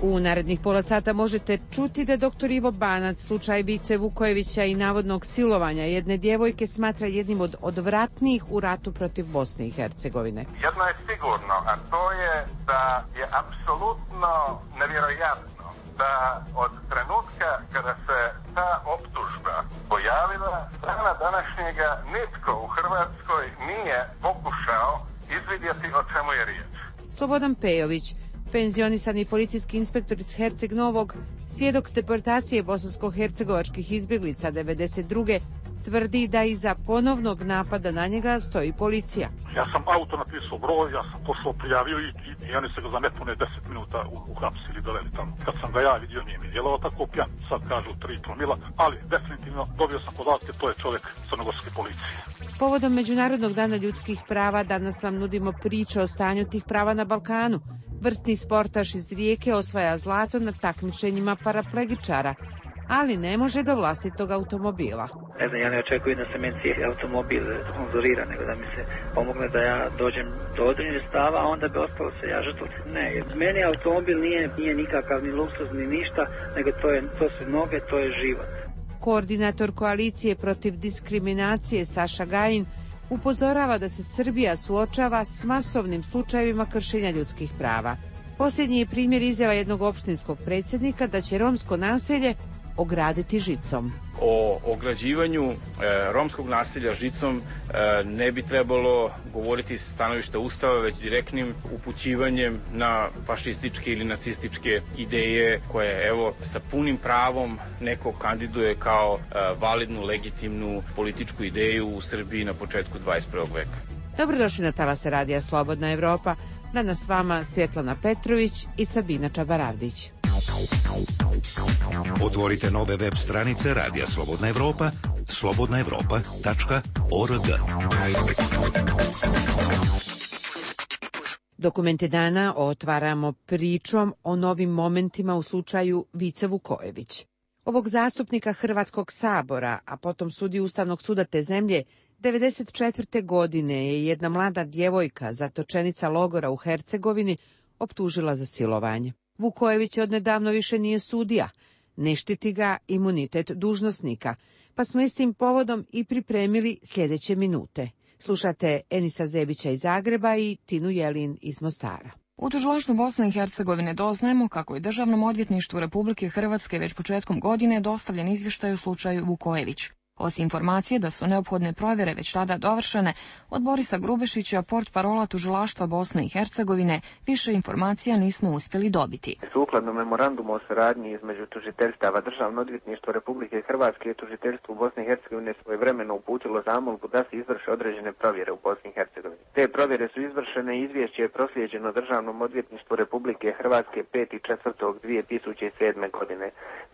U narednih pola sata možete čuti da doktor Ivo Banac slučaj Vice Vukojevića i navodnog silovanja jedne djevojke smatra jednim od odvratnijih u ratu protiv Bosne i Hercegovine. Jedno je sigurno, a to je da je apsolutno nevjerojatno da od trenutka kada se ta optužba pojavila, dana današnjega nitko u Hrvatskoj nije pokušao izvidjeti o čemu je riječ. Slobodan Pejović, penzionisani policijski inspektor iz Herceg Novog, svjedok deportacije bosansko-hercegovačkih izbjeglica devedeset druge tvrdi da iza ponovnog napada na njega stoji policija. Ja sam auto napisao broj, ja sam pošao prijavio i, i, i oni se ga za nepune deset minuta uhapsili, doveli tamo. Kad sam ga ja vidio, nije mi djelovao tako pijan, sad kažu tri promila, ali definitivno dobio sam podatke, to je čovjek crnogorske policije. Povodom Međunarodnog dana ljudskih prava danas vam nudimo priče o stanju tih prava na Balkanu. Vrstni sportaš iz Rijeke osvaja zlato na takmičenjima paraplegičara, ali ne može do vlastitog automobila. Ne znam, ja ne očekujem da se meni cijeli automobil sponzorira, nego da mi se pomogne da ja dođem do određenih stava, a onda bi ostalo se ja žrtvo. Ne, meni automobil nije, nije nikakav ni luksuz ni ništa, nego to, je, to su noge, to je život. Koordinator koalicije protiv diskriminacije Saša Gajin upozorava da se Srbija suočava s masovnim slučajevima kršenja ljudskih prava. Posljednji je primjer izjava jednog opštinskog predsjednika da će romsko naselje ograditi žicom. O ograđivanju e, romskog naselja žicom e, ne bi trebalo govoriti s stanovišta Ustava, već direktnim upućivanjem na fašističke ili nacističke ideje koje, evo, sa punim pravom neko kandiduje kao e, validnu, legitimnu političku ideju u Srbiji na početku dvadeset prvog veka. Dobrodošli na talase radija Slobodna Evropa. Danas s vama Svjetlana Petrović i Sabina Čabaravdić. Otvorite nove web stranice Radija Slobodna Evropa, slobodna evropa tačka org. Dokumente dana otvaramo pričom o novim momentima u slučaju Vice Vukojević. Ovog zastupnika Hrvatskog sabora, a potom sudiju Ustavnog suda te zemlje, devedeset četvrte godine je jedna mlada djevojka, zatočenica logora u Hercegovini, optužila za silovanje. Vukojević odnedavno više nije sudija, ne štiti ga imunitet dužnosnika, pa smo istim povodom i pripremili sljedeće minute. Slušate Enisa Zebića iz Zagreba i Tinu Jelin iz Mostara. U tužilaštvu Bosne i Hercegovine doznajemo kako je Državnom odvjetništvu Republike Hrvatske već početkom godine dostavljen izvještaj u slučaju Vukojević. Osim informacije da su neophodne provjere već tada dovršene, od Borisa Grubešića, portparola tužilaštva Bosne i Hercegovine, više informacija nismo uspjeli dobiti. Sukladno memorandumu o saradnji između tužiteljstava Državno odvjetništvo Republike Hrvatske i tužiteljstvo Bosne i Hercegovine svojevremeno uputilo zamolbu da se izvrše određene provjere u Bosni i Hercegovini. Te provjere su izvršene i izvješće je proslijeđeno Državnom odvjetništvu Republike Hrvatske petog četvrtog dvije tisuće sedme. godine.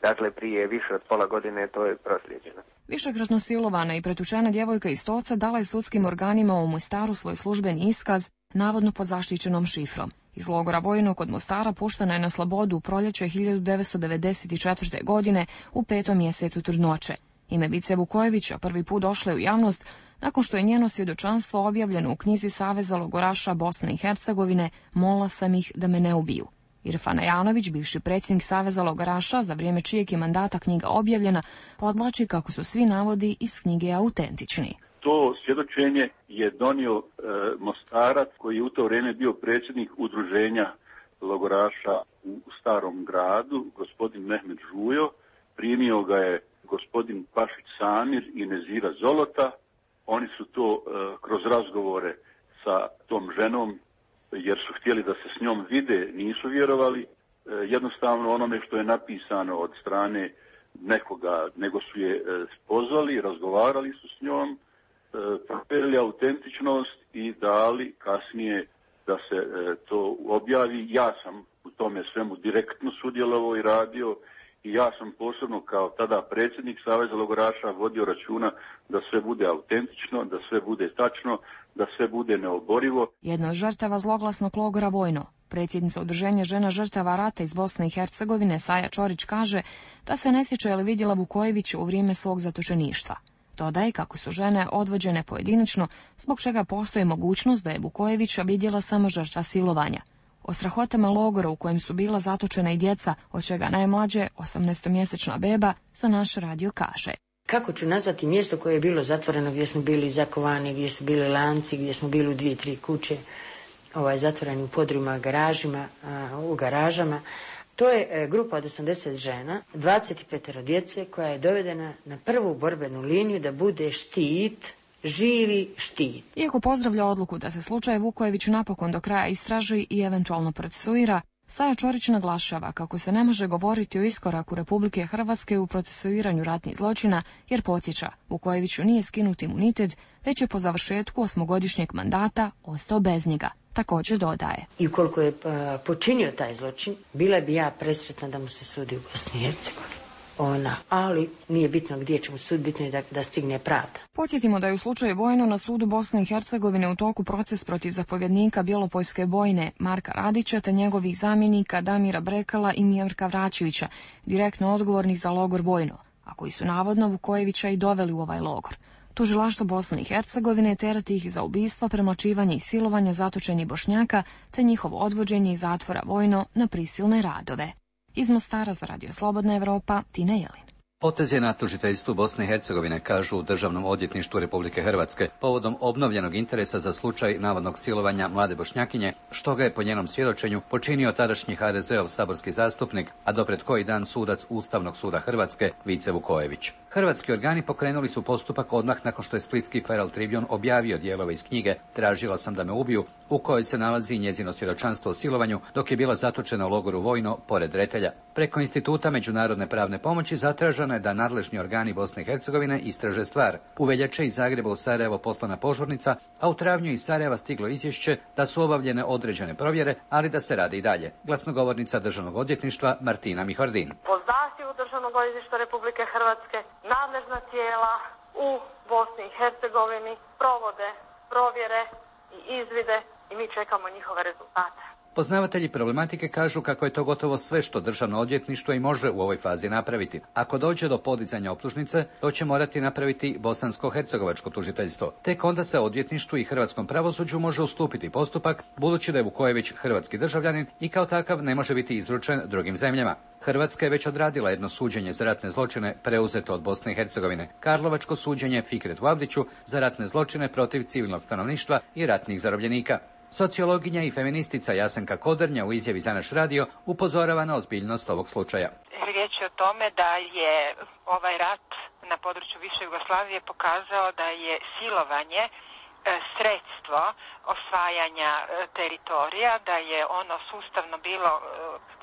Dakle, prije više od pola godine to je proslijeđeno. Višekratno silovana i pretučena djevojka iz Stoca dala je sudskim organima u Mostaru svoj službeni iskaz, navodno pod zaštićenom šifrom. Iz logora vojnog kod Mostara puštena je na slobodu u proljeće hiljadu devetsto devedeset četvrte. godine u petom mjesecu trudnoće. Ime Vice Vukojevića prvi put došlo je u javnost nakon što je njeno svjedočanstvo objavljeno u knjizi Saveza logoraša Bosne i Hercegovine Molila sam ih da me ne ubiju. Irfan Ajanović, bivši predsjednik Saveza logoraša, za vrijeme čijeg je mandata knjiga objavljena, podvlači kako su svi navodi iz knjige autentični. To svjedočenje je donio e, Mostarac, koji je u to vrijeme bio predsjednik udruženja logoraša u Starom gradu, gospodin Mehmed Žujo. Primio ga je gospodin Pašić Samir i Nezira Zolota. Oni su to e, kroz razgovore sa tom ženom, jer su htjeli da se s njom vide, nisu vjerovali e, jednostavno onome što je napisano od strane nekoga, nego su je e, pozvali, razgovarali su s njom, e, provjerili autentičnost i dali kasnije da se e, to objavi. Ja sam u tome svemu direktno sudjelovao i radio i ja sam posebno kao tada predsjednik Saveza logoraša vodio računa da sve bude autentično, da sve bude tačno, da sve bude neoborivo. Jedna od žrtava zloglasnog logora Vojno, predsjednica udruženja žena žrtava rata iz Bosne i Hercegovine, Saja Čorić, kaže da se ne sjeća je li vidjela Vukojevića u vrijeme svog zatočeništva. Dodaje kako su žene odvođene pojedinačno, zbog čega postoji mogućnost da je Vukojevića vidjela samo žrtva silovanja. O strahotama logora u kojem su bila zatočena i djeca, od čega najmlađe, osamnaestomjesečna beba, za naš radio kaže. Kako ću nazvati mjesto koje je bilo zatvoreno, gdje smo bili zakovani, gdje su bili lanci, gdje smo bili u dvije, tri kuće, ovaj, zatvoreni u podrumima, garažima, a, u garažama. To je e, grupa od osamdeset žena, dvadeset pet djece koja je dovedena na prvu borbenu liniju da bude štit, živi štit. Iako pozdravlja odluku da se slučaj Vukojević napokon do kraja istraži i eventualno procesuira, Saja Čorić naglašava kako se ne može govoriti o iskoraku Republike Hrvatske u procesuiranju ratnih zločina, jer podsjeća, Vukojeviću nije skinut imunitet, već je po završetku osmogodišnjeg mandata ostao bez njega. Također dodaje. I ukoliko je a, počinio taj zločin, bila bi ja presretna da mu se sudi u Bosni i Hercegovini. Ona, ali nije bitno gdje će mu sud, bitno je da, da stigne pravda. Podsjetimo da je u slučaju Vojno na sudu Bosne i Hercegovine u toku proces protiv zapovjednika Bjelopojske bojne Marka Radića te njegovih zamjenika Damira Brekala i Mirka Vraćevića, direktno odgovornih za logor Vojno, a koji su navodno Vukojevića i doveli u ovaj logor. Tužilaštvo Bosne i Hercegovine terati ih za ubistva, premlačivanje i silovanje zatočenih Bošnjaka te njihovo odvođenje iz zatvora Vojno na prisilne radove. Iz Mostara za Radio Slobodna Evropa, Tina Jelin. Potez je na tužiteljstvu Bosne i Hercegovine, kažu u Državnom odvjetništvu Republike Hrvatske, povodom obnovljenog interesa za slučaj navodnog silovanja mlade Bošnjakinje, što ga je po njenom svjedočenju počinio tadašnji ha de zeov saborski zastupnik, a dopred koji dan sudac Ustavnog suda Hrvatske, Vice Vukojević. Hrvatski organi pokrenuli su postupak odmah nakon što je splitski Feral Tribune objavio dijelove iz knjige Tražila sam da me ubiju, u kojoj se nalazi njezino svjedočanstvo o silovanju dok je bila zatočena u logoru Vojno pored Retelja. Preko Instituta međunarodne pravne pomoći zatraženo je da nadležni organi Bosne i Hercegovine istraže stvar. U veljače iz Zagreba u Sarajevo poslana požurnica, a u travnju iz Sarajeva stiglo izvješće da su obavljene određene provjere, ali da se radi i dalje. Glasnogovornica Državnog odvjetništva Martina Mihordin. Po zahtjevu Državnog odvjetništva Republike Hrvatske nadležna tijela u Bosni i Hercegovini provode provjere i izvide i mi čekamo njihove rezultate. Poznavatelji problematike kažu kako je to gotovo sve što Državno odvjetništvo i može u ovoj fazi napraviti. Ako dođe do podizanja optužnice, to će morati napraviti bosansko-hercegovačko tužiteljstvo. Tek onda se odvjetništvu i hrvatskom pravosuđu može ustupiti postupak, budući da je Vukojević hrvatski državljanin i kao takav ne može biti izručen drugim zemljama. Hrvatska je već odradila jedno suđenje za ratne zločine preuzeto od Bosne i Hercegovine, karlovačko suđenje Fikretu Avdiću za ratne zločine protiv civilnog stanovništva i ratnih zarobljenika. Sociologinja i feministica Jasenka Kodrnja u izjavi za naš radio upozorava na ozbiljnost ovog slučaja. Riječ je o tome da je ovaj rat na području bivše Jugoslavije pokazao da je silovanje sredstvo osvajanja teritorija, da je ono sustavno bilo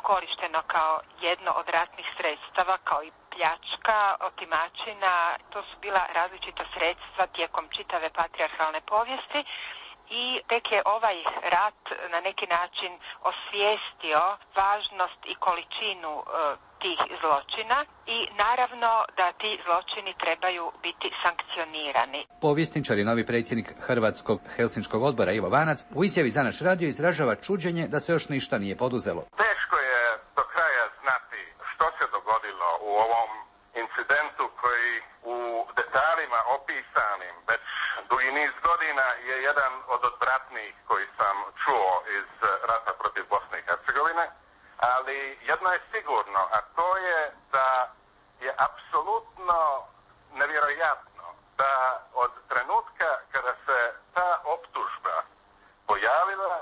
korišteno kao jedno od ratnih sredstava, kao i pljačka, otimačina. To su bila različita sredstva tijekom čitave patrijarhalne povijesti. I tek je ovaj rat na neki način osvijestio važnost i količinu e, tih zločina i naravno da ti zločini trebaju biti sankcionirani. Povjesničar i novi predsjednik Hrvatskog Helsinškog odbora Ivo Vanac u izjavi za naš radio izražava čuđenje da se još ništa nije poduzelo. Teško je do kraja znati što se dogodilo u ovom incidentu koji u detaljima opisanim već najnevjerojatnijih koji sam čuo iz rata protiv Bosne i Hercegovine, ali jedno je sigurno, a to je da je apsolutno nevjerojatno da od trenutka kada se ta optužba pojavila,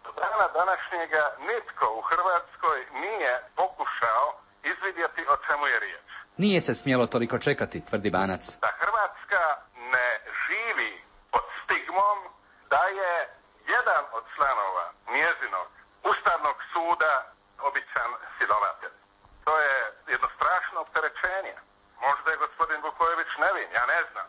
do dana današnjega nitko u Hrvatskoj nije pokušao izvidjeti o čemu je riječ. Nije se smjelo toliko čekati, tvrdi Banac. Da Hrvatska ne živi pod stigmom da je jedan od članova njezinog Ustavnog suda običan silovatelj. To je jedno strašno opterećenje. Možda je gospodin Vukojević nevin, ja ne znam.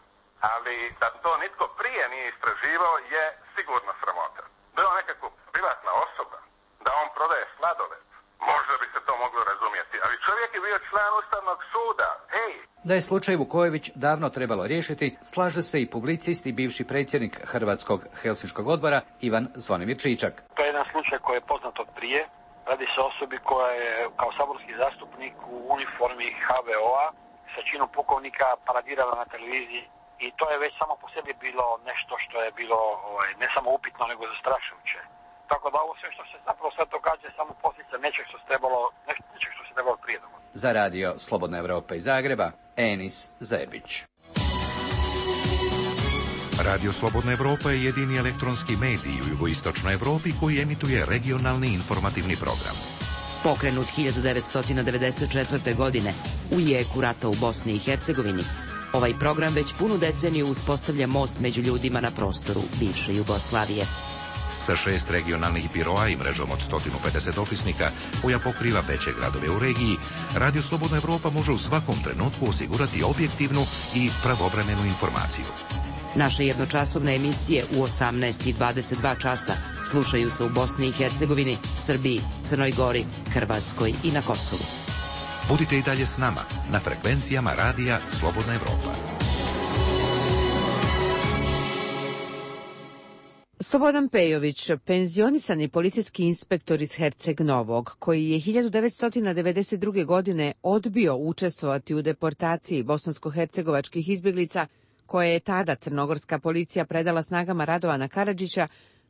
Ali da to nitko prije nije istraživao je sigurno sramota. Da je on nekako privatna osoba, da on prodaje sladoled, možda bi se to moglo razumjeti. Ali čovjek je bio član Ustavnog suda. Hej! Da je slučaj Vukojević davno trebalo riješiti, slaže se i publicist i bivši predsjednik Hrvatskog Helsinškog odbora Ivan Zvonimir Čičak. To je jedan slučaj koji je poznat od prije. Radi se o osobi koja je kao saborski zastupnik u uniformi ha ve o-a sa činom pukovnika paradirala na televiziji i to je već samo po sebi bilo nešto što je bilo ovaj, ne samo upitno nego zastrašujuće. Tako da ovo sve što se zapravo sad događa je samo posljedica nečeg što se trebalo, nečeg što se trebalo prije dogoditi. Za radio Slobodna Evropa iz Zagreba, Enis Zebić. Radio Slobodna Evropa je jedini elektronski medij u jugoistočnoj Evropi koji emituje regionalni informativni program. Pokrenut hiljadu devetsto devedeset četvrte. godine u jeku rata u Bosni i Hercegovini, ovaj program već punu deceniju uspostavlja most među ljudima na prostoru bivše Jugoslavije. Sa šest regionalnih biroa i mrežom od sto pedeset opisnika koja pokriva veće gradove u regiji, Radio Slobodna Evropa može u svakom trenutku osigurati objektivnu i pravovremenu informaciju. Naše jednočasovne emisije u osamnaest i dvadeset dva časa slušaju se u Bosni i Hercegovini, Srbiji, Crnoj Gori, Hrvatskoj i na Kosovu. Budite i dalje s nama na frekvencijama radija Slobodna Evropa. Slobodan Pejović, penzionisani policijski inspektor iz Herceg Novog, koji je hiljadu devetsto devedeset druge. godine odbio učestvovati u deportaciji bosansko-hercegovačkih izbjeglica, koje je tada crnogorska policija predala snagama Radovana Karadžića,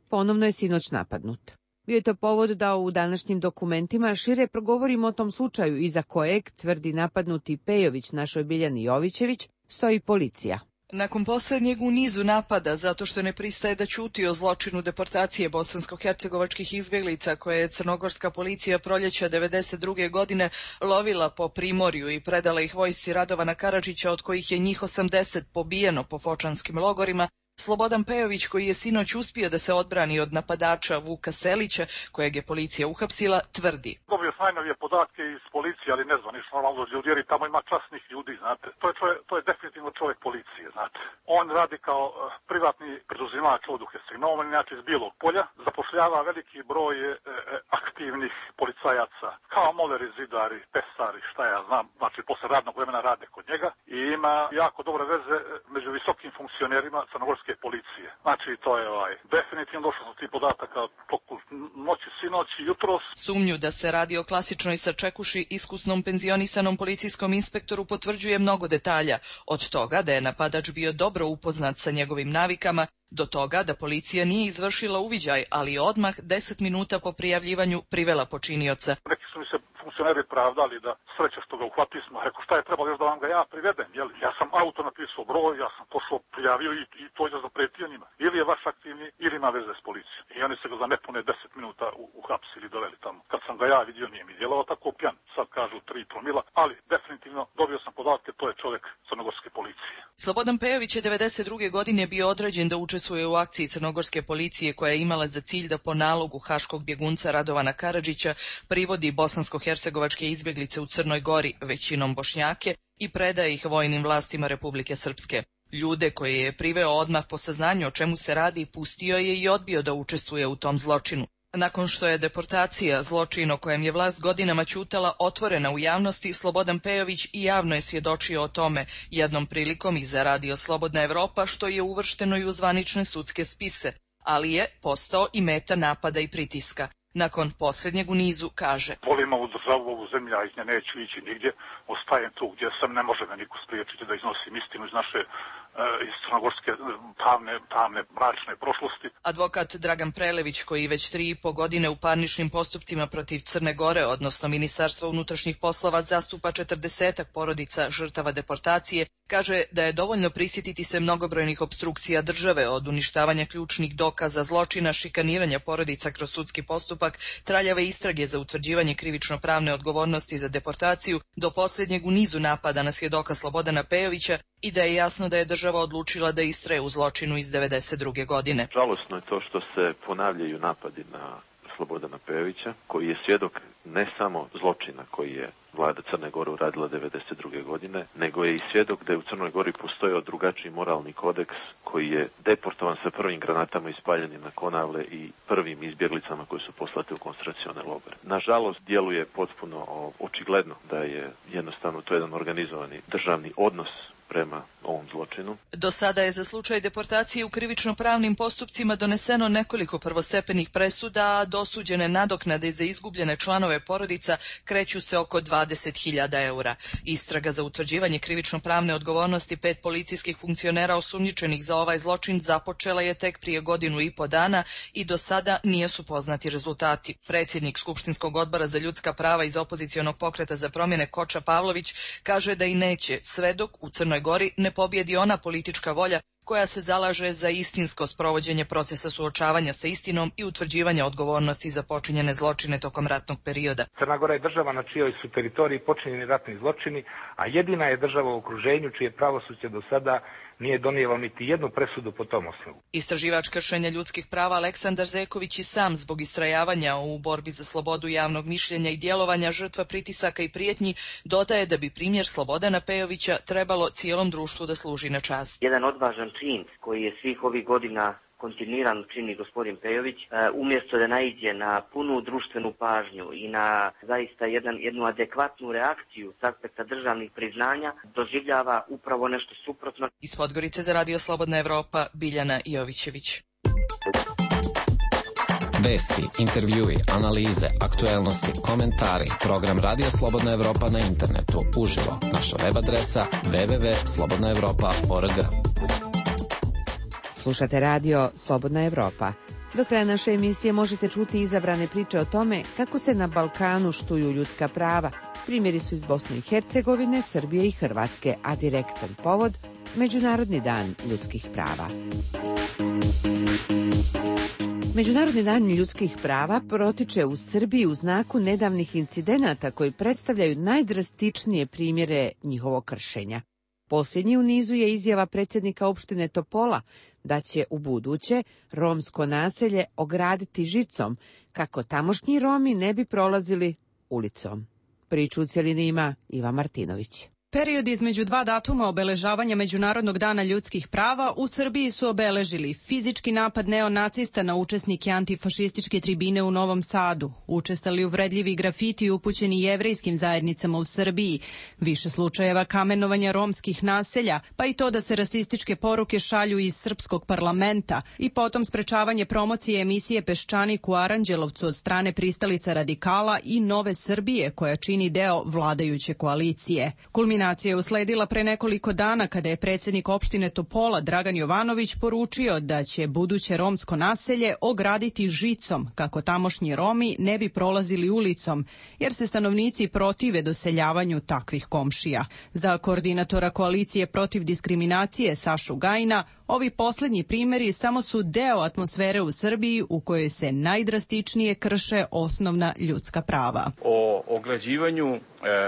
ponovno je sinoć napadnut. Bio je to povod da u današnjim dokumentima šire progovorimo o tom slučaju iza kojeg, tvrdi napadnuti Pejović našoj Biljani Jovićević, stoji policija. Nakon posljednjeg u nizu napada zato što ne pristaje da ćuti o zločinu deportacije bosansko-hercegovačkih izbjeglica koje je crnogorska policija proljeća devedeset druge. godine lovila po Primorju i predala ih vojsci Radovana Karadžića, od kojih je njih osamdeset pobijeno po fočanskim logorima, Slobodan Pejović, koji je sinoć uspio da se odbrani od napadača Vuka Selića, kojeg je policija uhapsila, tvrdi. Dobio sam najnovije podatke iz policije, ali ne znam, nisu normalno ljudi, jer tamo ima časnih ljudi, znate. To je, čovjek, to je definitivno čovjek policije, znate. On radi kao uh, privatni preduzimač ovdje u Herceg-Novom, inače iz Bijelog polja, zapošljava veliki broj uh, aktivnih policajaca, kao moleri, zidari, pesari, šta ja znam, znači posle radnog vremena rade kod njega i ima jako dobre veze među visokim funkcionerima crnogorske policije. Znači, to je ovaj, definitivno došlo do tih podataka toku noći, sinoći, jutros. Sumnju da se radi o klasičnoj sačekuši iskusnom penzionisanom policijskom inspektoru potvrđuje mnogo detalja, od toga da je napadač bio dobro upoznat sa njegovim navikama, do toga da policija nije izvršila uviđaj, ali odmah deset minuta po prijavljivanju privela počinioca. Neki su mi se funkcioneri pravdali da sreće što ga uhvatili smo. Rekao, šta je trebalo još da vam ga ja privedem? Jel? Ja sam auto napisao broj, ja sam pošao, prijavio i, i to je zapretio njima. Ili je vaš aktivni, ili ima veze s policijom. I oni se ga za nepune deset minuta uhapsili, doveli tamo. Kad sam ga ja vidio, nije mi djelovao tako pjan. Sad kažu tri promila, ali definitivno dobio sam podatke, to je čovjek crnogorske policije. Slobodan Pejović je devedeset druge. godine bio određen da učestvuje u akciji crnogorske policije koja je imala za cilj da po nalogu haškog bjegunca Radovana Karadžića privodi bosansko-hercegovačke izbjeglice u Crnoj Gori, većinom Bošnjake, i predaje ih vojnim vlastima Republike Srpske. Ljude koje je priveo odmah po saznanju o čemu se radi, pustio je i odbio da učestvuje u tom zločinu. Nakon što je deportacija, zločin o kojem je vlast godinama ćutala, otvorena u javnosti, Slobodan Pejović i javno je svjedočio o tome, jednom prilikom i za Radio Slobodna Evropa, što je uvršteno i u zvanične sudske spise, ali je postao i meta napada i pritiska. Nakon posljednjeg u nizu kaže: volim ovu državu, ovu zemlju, a iz nje neću ići nigdje, ostajem tu gdje sam, ne može me niko spriječiti da iznosim istinu iz naše iz crnogorske tamne, tamne mračne prošlosti. Advokat Dragan Prelević, koji već tri i po godine u parničnim postupcima protiv Crne Gore, odnosno Ministarstva unutrašnjih poslova, zastupa četrdesetak porodica žrtava deportacije, kaže da je dovoljno prisjetiti se mnogobrojnih opstrukcija države, od uništavanja ključnih dokaza zločina, šikaniranja porodica kroz sudski postupak, traljave istrage za utvrđivanje krivično-pravne odgovornosti za deportaciju, do posljednjeg u nizu napada na svjedoka Slobodana Pejovića, i da je jasno da je država odlučila da istraje u zločinu iz devedeset druge godine. Žalosno je to što se ponavljaju napadi na Slobodana Pejovića, koji je svjedok ne samo zločina koji je vlada Crne Gore uradila devedeset druge godine, nego je i svjedok da je u Crnoj Gori postojao drugačiji moralni kodeks koji je deportovan sa prvim granatama ispaljenim na Konavle i prvim izbjeglicama koje su poslate u koncentracione logore. Nažalost, djeluje potpuno očigledno da je jednostavno to jedan organizovani državni odnos prema ovom zločinu. Do sada je za slučaj deportacije u krivično-pravnim postupcima doneseno nekoliko prvostepenih presuda, a dosuđene nadoknade za izgubljene članove porodica kreću se oko dvadeset hiljada eura. Istraga za utvrđivanje krivično-pravne odgovornosti pet policijskih funkcionera osumnjičenih za ovaj zločin započela je tek prije godinu i po dana i do sada nisu poznati rezultati. Predsjednik Skupštinskog odbora za ljudska prava iz opozicionog pokreta za promjene Koča Pavlović kaže da i neće, sve dok u Crnoj Gori ne pobjedi ona politička volja koja se zalaže za istinsko sprovođenje procesa suočavanja sa istinom i utvrđivanja odgovornosti za počinjene zločine tokom ratnog perioda. Crna Gora je država na čijoj su teritoriji počinjeni ratni zločini, a jedina je država u okruženju čije pravosuđe do sada nije donijelo niti jednu presudu po tom osnovu. Istraživač kršenja ljudskih prava Aleksandar Zeković i sam zbog istrajavanja u borbi za slobodu javnog mišljenja i djelovanja žrtva pritisaka i prijetnji dodaje da bi primjer Slobodana Pejovića trebalo cijelom društvu da služi na čast. Jedan odvažan čin koji je svih ovih godina kontinuirano čini gospodin Pejović, umjesto da naiđe na punu društvenu pažnju i na zaista jedan, jednu adekvatnu reakciju s aspekta državnih priznanja, doživljava upravo nešto suprotno. Iz Podgorice za Radio Slobodna Evropa, Biljana Jovićević. Vesti, intervjui, analize, aktuelnosti, komentari. Program Radio Slobodna Evropa na internetu. Uživo. Naša web adresa w w w tačka slobodna evropa tačka org. Slušate radio Slobodna Evropa. Do kraja naše emisije možete čuti izabrane priče o tome kako se na Balkanu štuju ljudska prava. Primjeri su iz Bosne i Hercegovine, Srbije i Hrvatske, a direktan povod Međunarodni dan ljudskih prava. Međunarodni dan ljudskih prava protiče u Srbiji u znaku nedavnih incidenata koji predstavljaju najdrastičnije primjere njihovog kršenja. Posljednji u nizu je izjava predsjednika opštine Topola da će u buduće romsko naselje ograditi žicom kako tamošnji Romi ne bi prolazili ulicom. Priču u cjelini ima Iva Martinović. Period između dva datuma obeležavanja Međunarodnog dana ljudskih prava u Srbiji su obeležili fizički napad neonacista na učesnike antifašističke tribine u Novom Sadu, učestali uvredljivi grafiti upućeni jevrejskim zajednicama u Srbiji, više slučajeva kamenovanja romskih naselja, pa i to da se rasističke poruke šalju iz srpskog parlamenta i potom sprečavanje promocije emisije Peščanik u Aranđelovcu od strane pristalica radikala i Nove Srbije koja čini deo vladajuće koalicije. Kulminacija je usledila pre nekoliko dana kada je predsjednik opštine Topola Dragan Jovanović poručio da će buduće romsko naselje ograditi žicom kako tamošnji Romi ne bi prolazili ulicom, jer se stanovnici protive doseljavanju takvih komšija. Za koordinatora koalicije protiv diskriminacije Sašu Gajina, ovi posljednji primjeri samo su deo atmosfere u Srbiji u kojoj se najdrastičnije krše osnovna ljudska prava. O ograđivanju e,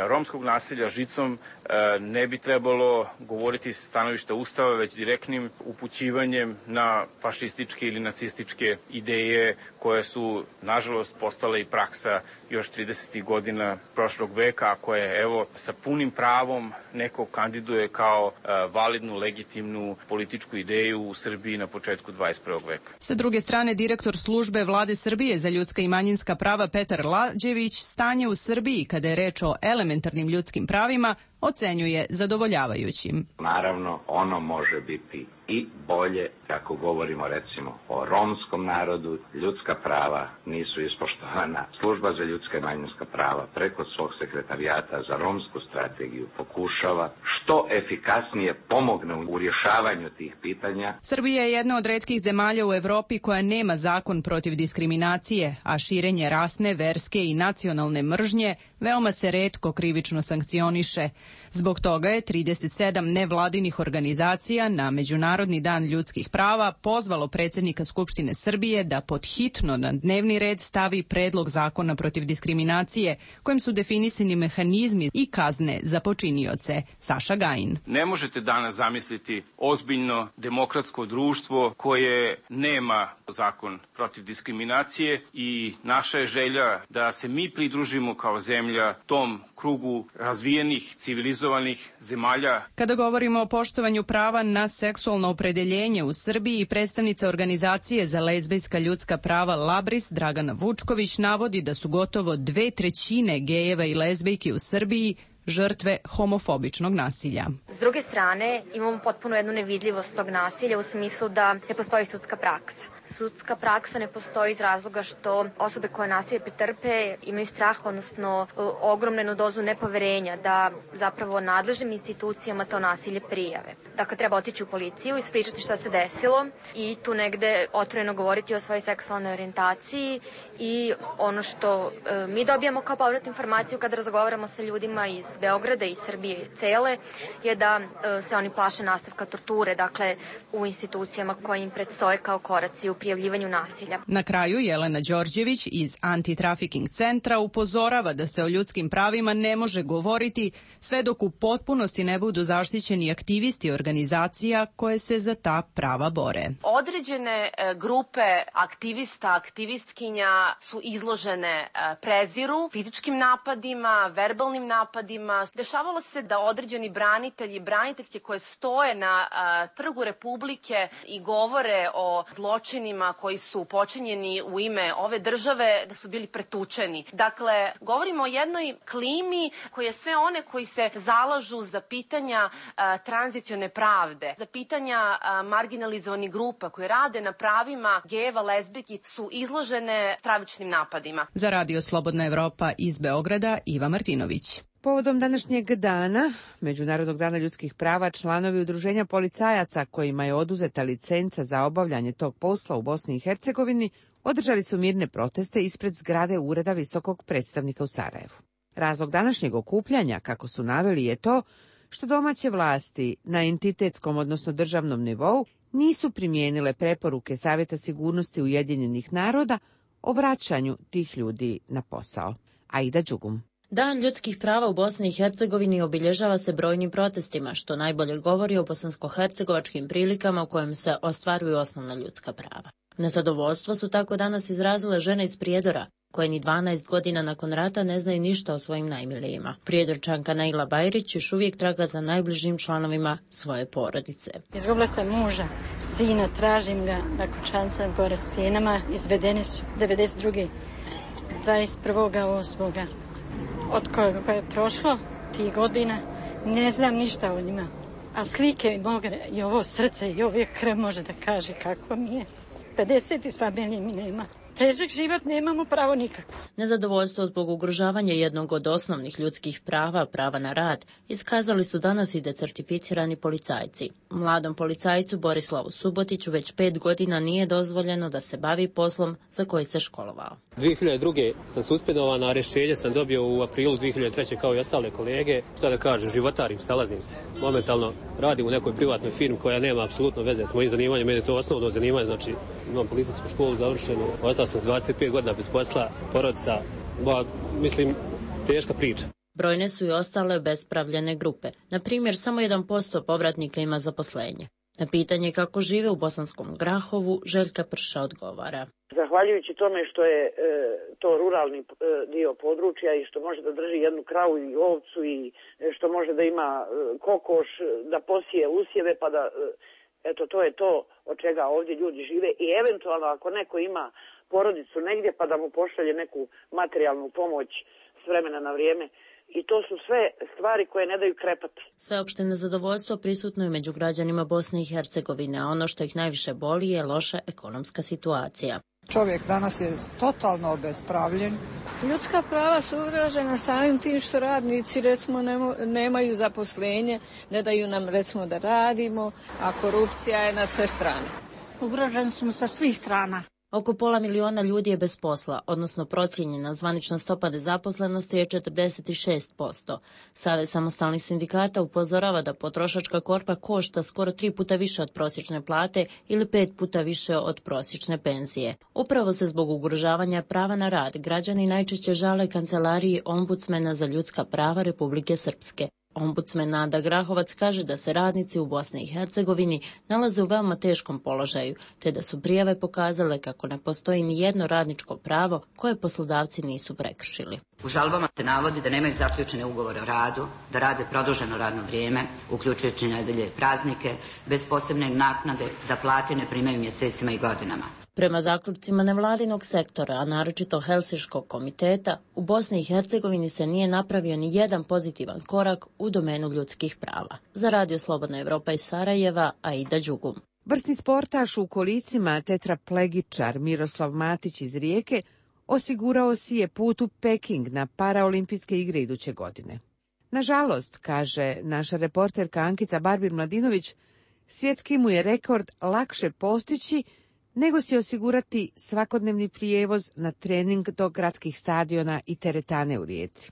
romskog naselja žicom e, ne bi trebalo govoriti s stanovišta Ustava, već direktnim upućivanjem na fašističke ili nacističke ideje koje su, nažalost, postale i praksa još tridesetih godina prošlog veka, a koje, evo, sa punim pravom neko kandiduje kao e, validnu, legitimnu političku ideju u Srbiji na početku dvadeset prvog veka. Sa druge strane, direktor službe Vlade Srbije za ljudska i manjinska prava Petar Lađević stanje u Srbiji kada je reč o elementarnim ljudskim pravima ocenjuje zadovoljavajućim. Naravno, ono može biti i bolje, ako govorimo recimo o romskom narodu, ljudska prava nisu ispoštovana. Služba za ljudska i manjinska prava preko svog sekretarijata za romsku strategiju pokušava što efikasnije pomogne u rješavanju tih pitanja. Srbija je jedna od retkih zemalja u Evropi koja nema zakon protiv diskriminacije, a širenje rasne, verske i nacionalne mržnje veoma se retko krivično sankcioniše. Zbog toga je trideset sedam nevladinih organizacija na Međunarodni dan ljudskih prava pozvalo predsjednika Skupštine Srbije da pod hitno na dnevni red stavi predlog zakona protiv diskriminacije, kojim su definisani mehanizmi i kazne za počinioce. Saša Gajin. Ne možete danas zamisliti ozbiljno demokratsko društvo koje nema zakon protiv diskriminacije i naša je želja da se mi pridružimo kao zemlja tom krugu razvijenih, civilizovanih zemalja. Kada govorimo o poštovanju prava na seksualno opredeljenje u Srbiji, predstavnica organizacije za lezbijska ljudska prava Labris Dragana Vučković navodi da su gotovo dve trećine gejeva i lezbijki u Srbiji žrtve homofobičnog nasilja. S druge strane, imamo potpuno jednu nevidljivost tog nasilja u smislu da ne postoji sudska praksa. Sudska praksa ne postoji iz razloga što osobe koje nasilje pretrpe imaju strah, odnosno ogromnu dozu nepoverenja da zapravo nadležnim institucijama to nasilje prijave. Dakle, treba otići u policiju, ispričati šta se desilo i tu negde otvoreno govoriti o svojoj seksualnoj orijentaciji i ono što e, mi dobijamo kao povratnu informaciju kada razgovaramo sa ljudima iz Beograda i Srbije cele je da e, se oni plaše nastavka torture, dakle u institucijama koje im predstoje kao koraci u prijavljivanju nasilja. Na kraju Jelena Đorđević iz Anti-Trafficking centra upozorava da se o ljudskim pravima ne može govoriti sve dok u potpunosti ne budu zaštićeni aktivisti organizacija koje se za ta prava bore. Određene grupe aktivista, aktivistkinja su izložene preziru, fizičkim napadima, verbalnim napadima. Dešavalo se da određeni branitelji, braniteljke koje stoje na trgu Republike i govore o zločinima koji su počinjeni u ime ove države, da su bili pretučeni. Dakle, govorimo o jednoj klimi koja je sve one koji se zalažu za pitanja tranzicione pravde, za pitanja marginalizovanih grupa koje rade na pravima gejeva, lezbijki su izložene stravičnim napadima. Za Radio Slobodna Evropa iz Beograda, Iva Martinović. Povodom današnjeg dana, Međunarodnog dana ljudskih prava, članovi udruženja policajaca kojima je oduzeta licenca za obavljanje tog posla u Bosni i Hercegovini održali su mirne proteste ispred zgrade Ureda visokog predstavnika u Sarajevu. Razlog današnjeg okupljanja, kako su naveli, je to što domaće vlasti na entitetskom, odnosno državnom nivou, nisu primijenile preporuke Savjeta sigurnosti Ujedinjenih naroda o vraćanju tih ljudi na posao. Aida Đugum. Dan ljudskih prava u Bosni i Hercegovini obilježava se brojnim protestima, što najbolje govori o bosansko-hercegovačkim prilikama u kojem se ostvaruju osnovna ljudska prava. Nezadovoljstvo su tako danas izrazile žene iz Prijedora, koje ni dvanaest godina nakon rata ne znaju ništa o svojim najmilijima. Prijedorčanka Naila Bajrić još uvijek traga za najbližim članovima svoje porodice. Izgubila sam muža, sina, tražim ga na Kućanca gore s sinama, izvedeni su devedeset druge dvadeset prvog osmog Od koja je prošlo tih godina, ne znam ništa o njima. A slike mogu i ovo srce i ovaj krv može da kaže kako mi je. pedeset iz familije mi nema. Težak život nemamo pravo nikako. Nezadovoljstvo zbog ugrožavanja jednog od osnovnih ljudskih prava, prava na rad, iskazali su danas i decertificirani policajci. Mladom policajcu Borislavu Subotiću već pet godina nije dozvoljeno da se bavi poslom za koji se školovao. dvije hiljade druge sam suspendovan, a rješenje sam dobio u aprilu dvije hiljade treće kao i ostale kolege. Šta da kažem, životarim, snalazim se. Momentalno radim u nekoj privatnoj firmi koja nema apsolutno veze s mojim zanimanjem, meni je to osnovno zanimanje, znači imam policijsku školu završenu, ostao sam s dvadeset pet godina bez posla, porodica, ba, mislim, teška priča. Brojne su i ostale bespravljene grupe. Na primjer, samo jedan posto povratnika ima zaposlenje. Na pitanje kako žive u Bosanskom Grahovu, Željka Prša odgovara. Zahvaljujući tome što je e, to ruralni e, dio područja i što može da drži jednu kravu i ovcu i e, što može da ima e, kokoš, da posije usjeve, pa da, e, eto, to je to od čega ovdje ljudi žive i eventualno ako neko ima porodicu negdje pa da mu pošalje neku materijalnu pomoć s vremena na vrijeme. I to su sve stvari koje ne daju krepati. Sveopšte nezadovoljstvo prisutno je među građanima Bosne i Hercegovine, a ono što ih najviše boli je loša ekonomska situacija. Čovjek danas je totalno obespravljen. Ljudska prava su ugrožena samim tim što radnici recimo nemaju zaposlenje, ne daju nam recimo da radimo, a korupcija je na sve strane. Ugroženi smo sa svih strana. Oko pola miliona ljudi je bez posla, odnosno procijenjena zvanična stopa nezaposlenosti je četrdeset šest posto. Savez samostalnih sindikata upozorava da potrošačka korpa košta skoro tri puta više od prosječne plate ili pet puta više od prosječne penzije. Upravo se zbog ugrožavanja prava na rad građani najčešće žale kancelariji ombudsmena za ljudska prava Republike Srpske. Ombudsman Nada Grahovac kaže da se radnici u Bosni i Hercegovini nalaze u veoma teškom položaju, te da su prijave pokazale kako ne postoji ni jedno radničko pravo koje poslodavci nisu prekršili. U žalbama se navodi da nemaju zaključene ugovore o radu, da rade produženo radno vrijeme, uključujući nedelje i praznike, bez posebne naknade, da plate ne primaju mjesecima i godinama. Prema zaključcima nevladinog sektora, a naročito Helsinškog komiteta, u Bosni i Hercegovini se nije napravio ni jedan pozitivan korak u domenu ljudskih prava. Za Radio Slobodna Evropa iz Sarajeva, Aida Đugum. Vrsni sportaš u kolicima tetraplegičar Miroslav Matić iz Rijeke osigurao si je put u Peking na paraolimpijske igre iduće godine. Nažalost, kaže naša reporterka Ankica Barbir-Mladinović, svjetski mu je rekord lakše postići nego si osigurati svakodnevni prijevoz na trening do gradskih stadiona i teretane u Rijeci.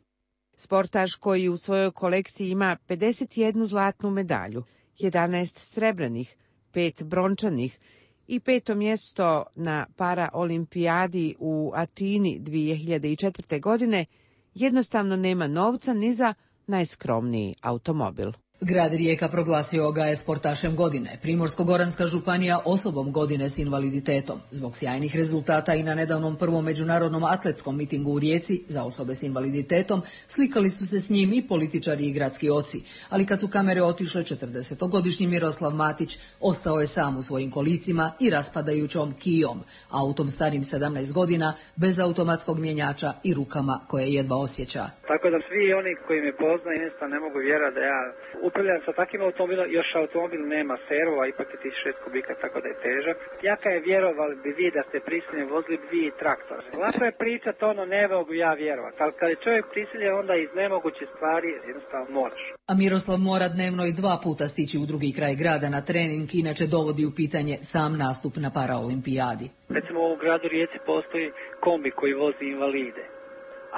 Sportaš koji u svojoj kolekciji ima pedeset jednu zlatnu medalju, jedanaest srebrnih, pet brončanih i peto mjesto na paraolimpijadi u Atini dvije hiljade četvrte. godine, jednostavno nema novca ni za najskromniji automobil. Grad Rijeka proglasio ga je sportašem godine, Primorsko-goranska županija osobom godine s invaliditetom. Zbog sjajnih rezultata i na nedavnom prvom međunarodnom atletskom mitingu u Rijeci za osobe s invaliditetom slikali su se s njim i političari i gradski oci, ali kad su kamere otišle, četrdesetogodišnji Miroslav Matić ostao je sam u svojim kolicima i raspadajućom kijom, autom starim sedamnaest godina, bez automatskog mjenjača i rukama koje jedva osjeća. Tako da svi oni koji me poznaju jednostavno ne mogu vjerovati da ja upravljam sa takvim automobilom, još automobil nema servo, a ipak je tisuću šest kubika, tako da je težak. Jaka je vjerovali bi vi da ste prisiljeni vozili bi i traktor. Lako je pričat ono, ne mogu ja vjerovati, ali kad je čovjek prisiljen onda iz nemoguće stvari jednostavno moraš. A Miroslav mora dnevno i dva puta stići u drugi kraj grada na trening, inače dovodi u pitanje sam nastup na paraolimpijadi. Recimo u gradu Rijeci postoji kombi koji vozi invalide,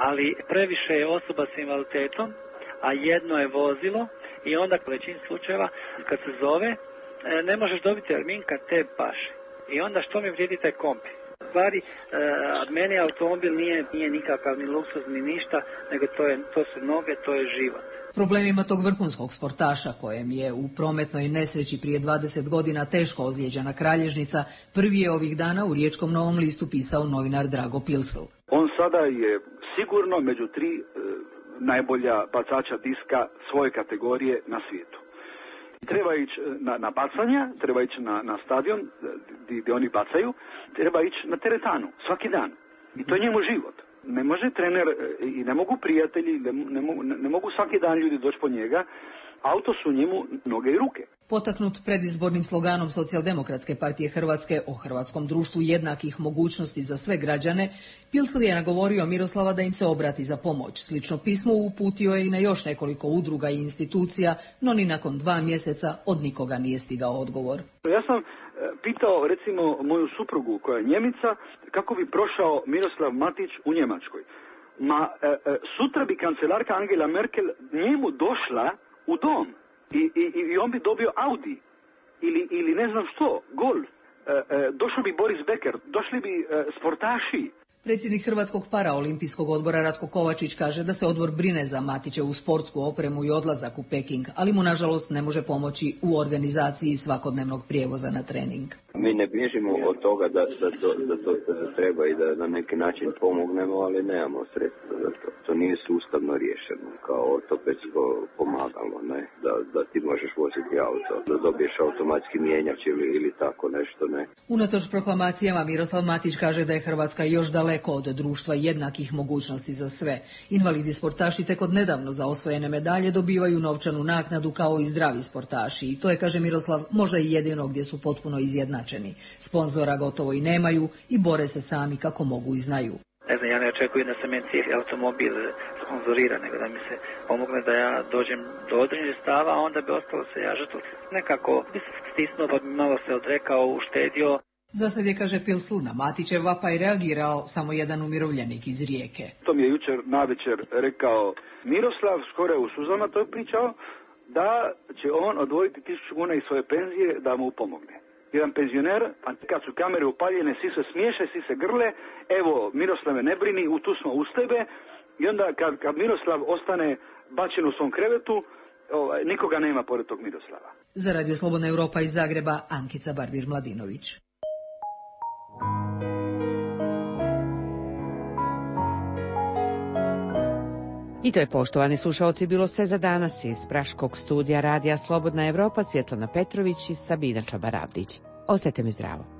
ali previše je osoba s invaliditetom, a jedno je vozilo. I onda u većini slučajeva kad se zove ne možeš dobiti termin kad te paše. I onda što mi vrijedi taj kombi? Stvari, od mene automobil nije, nije nikakav ni luksuz ni ništa, nego to, je, to su noge, to je život. Problemima tog vrhunskog sportaša kojem je u prometnoj nesreći prije dvadeset godina teško ozlijeđena kralježnica, prvi je ovih dana u Riječkom Novom listu pisao novinar Drago Pilsl. On sada je sigurno među tri najbolja bacača diska svoje kategorije na svijetu. Treba ići na, na bacanja, treba ići na, na stadion gdje oni bacaju, treba ići na teretanu svaki dan. I to je njemu život. Ne može trener i ne mogu prijatelji, ne, ne, mogu, ne mogu svaki dan ljudi doći po njega, auto su njemu noge i ruke. Potaknut predizbornim sloganom Socijaldemokratske partije Hrvatske o hrvatskom društvu jednakih mogućnosti za sve građane, Pilsl je nagovorio Miroslava da im se obrati za pomoć. Slično pismo uputio je i na još nekoliko udruga i institucija, no ni nakon dva mjeseca od nikoga nije stigao odgovor. Ja sam pitao recimo moju suprugu koja je Njemica kako bi prošao Miroslav Matić u Njemačkoj. Ma e, e, sutra bi kancelarka Angela Merkel njemu došla u dom. I, i, i on bi dobio Audi ili, ili ne znam što, Golf. E, e, došao bi Boris Becker, došli bi e, sportaši. Predsjednik Hrvatskog paraolimpijskog odbora Ratko Kovačić kaže da se odbor brine za Matićevu sportsku opremu i odlazak u Peking, ali mu nažalost ne može pomoći u organizaciji svakodnevnog prijevoza na trening. Mi ne bježimo od toga da, da, to, da to treba i da na neki način pomognemo, ali nemamo sredstva za to. To nije sustavno riješeno, kao ortopedsko pomagalo, ne? Da, da ti možeš voziti auto, da dobiješ automatski mijenjač ili, ili tako nešto, ne? Unatoč proklamacijama Miroslav Matić kaže da je Hrvatska još daleko od društva jednakih mogućnosti za sve. Invalidi sportaši tek od nedavno za osvojene medalje dobivaju novčanu naknadu kao i zdravi sportaši. I to je, kaže Miroslav, možda i jedino gdje su potpuno izjednačeni. Sponzora gotovo i nemaju i bore se sami kako mogu i znaju. Ne znam, ja ne očekujem da se meni cijeli automobil sponzorira, nego da mi se pomogne da ja dođem do određenih stava, a onda bi ostalo se ja žrtvo. Nekako bi se stisnuo, pa bi malo se odrekao, uštedio. Za sad je, kaže Pilsl, na Matićev vapaj reagirao samo jedan umirovljenik iz Rijeke. To mi je jučer navečer rekao Miroslav, skoro je u suzama to pričao, da će on odvojiti tisuću kuna iz svoje penzije da mu pomogne. Jedan penzioner, a kad su kamere upaljene, svi se smiješe, svi se grle, evo Miroslave ne brini, u tu smo uz tebe, i onda kad, kad Miroslav ostane bačen u svom krevetu, ovaj, nikoga nema pored tog Miroslava. Za Radio Slobodna Europa iz Zagreba, Ankica Barbir-Mladinović. I to je, poštovani slušalci, bilo sve za danas. Iz Praškog studija Radija Slobodna Evropa Svjetlana Petrović i Sabina Čabaravdić. Ostajte mi zdravo.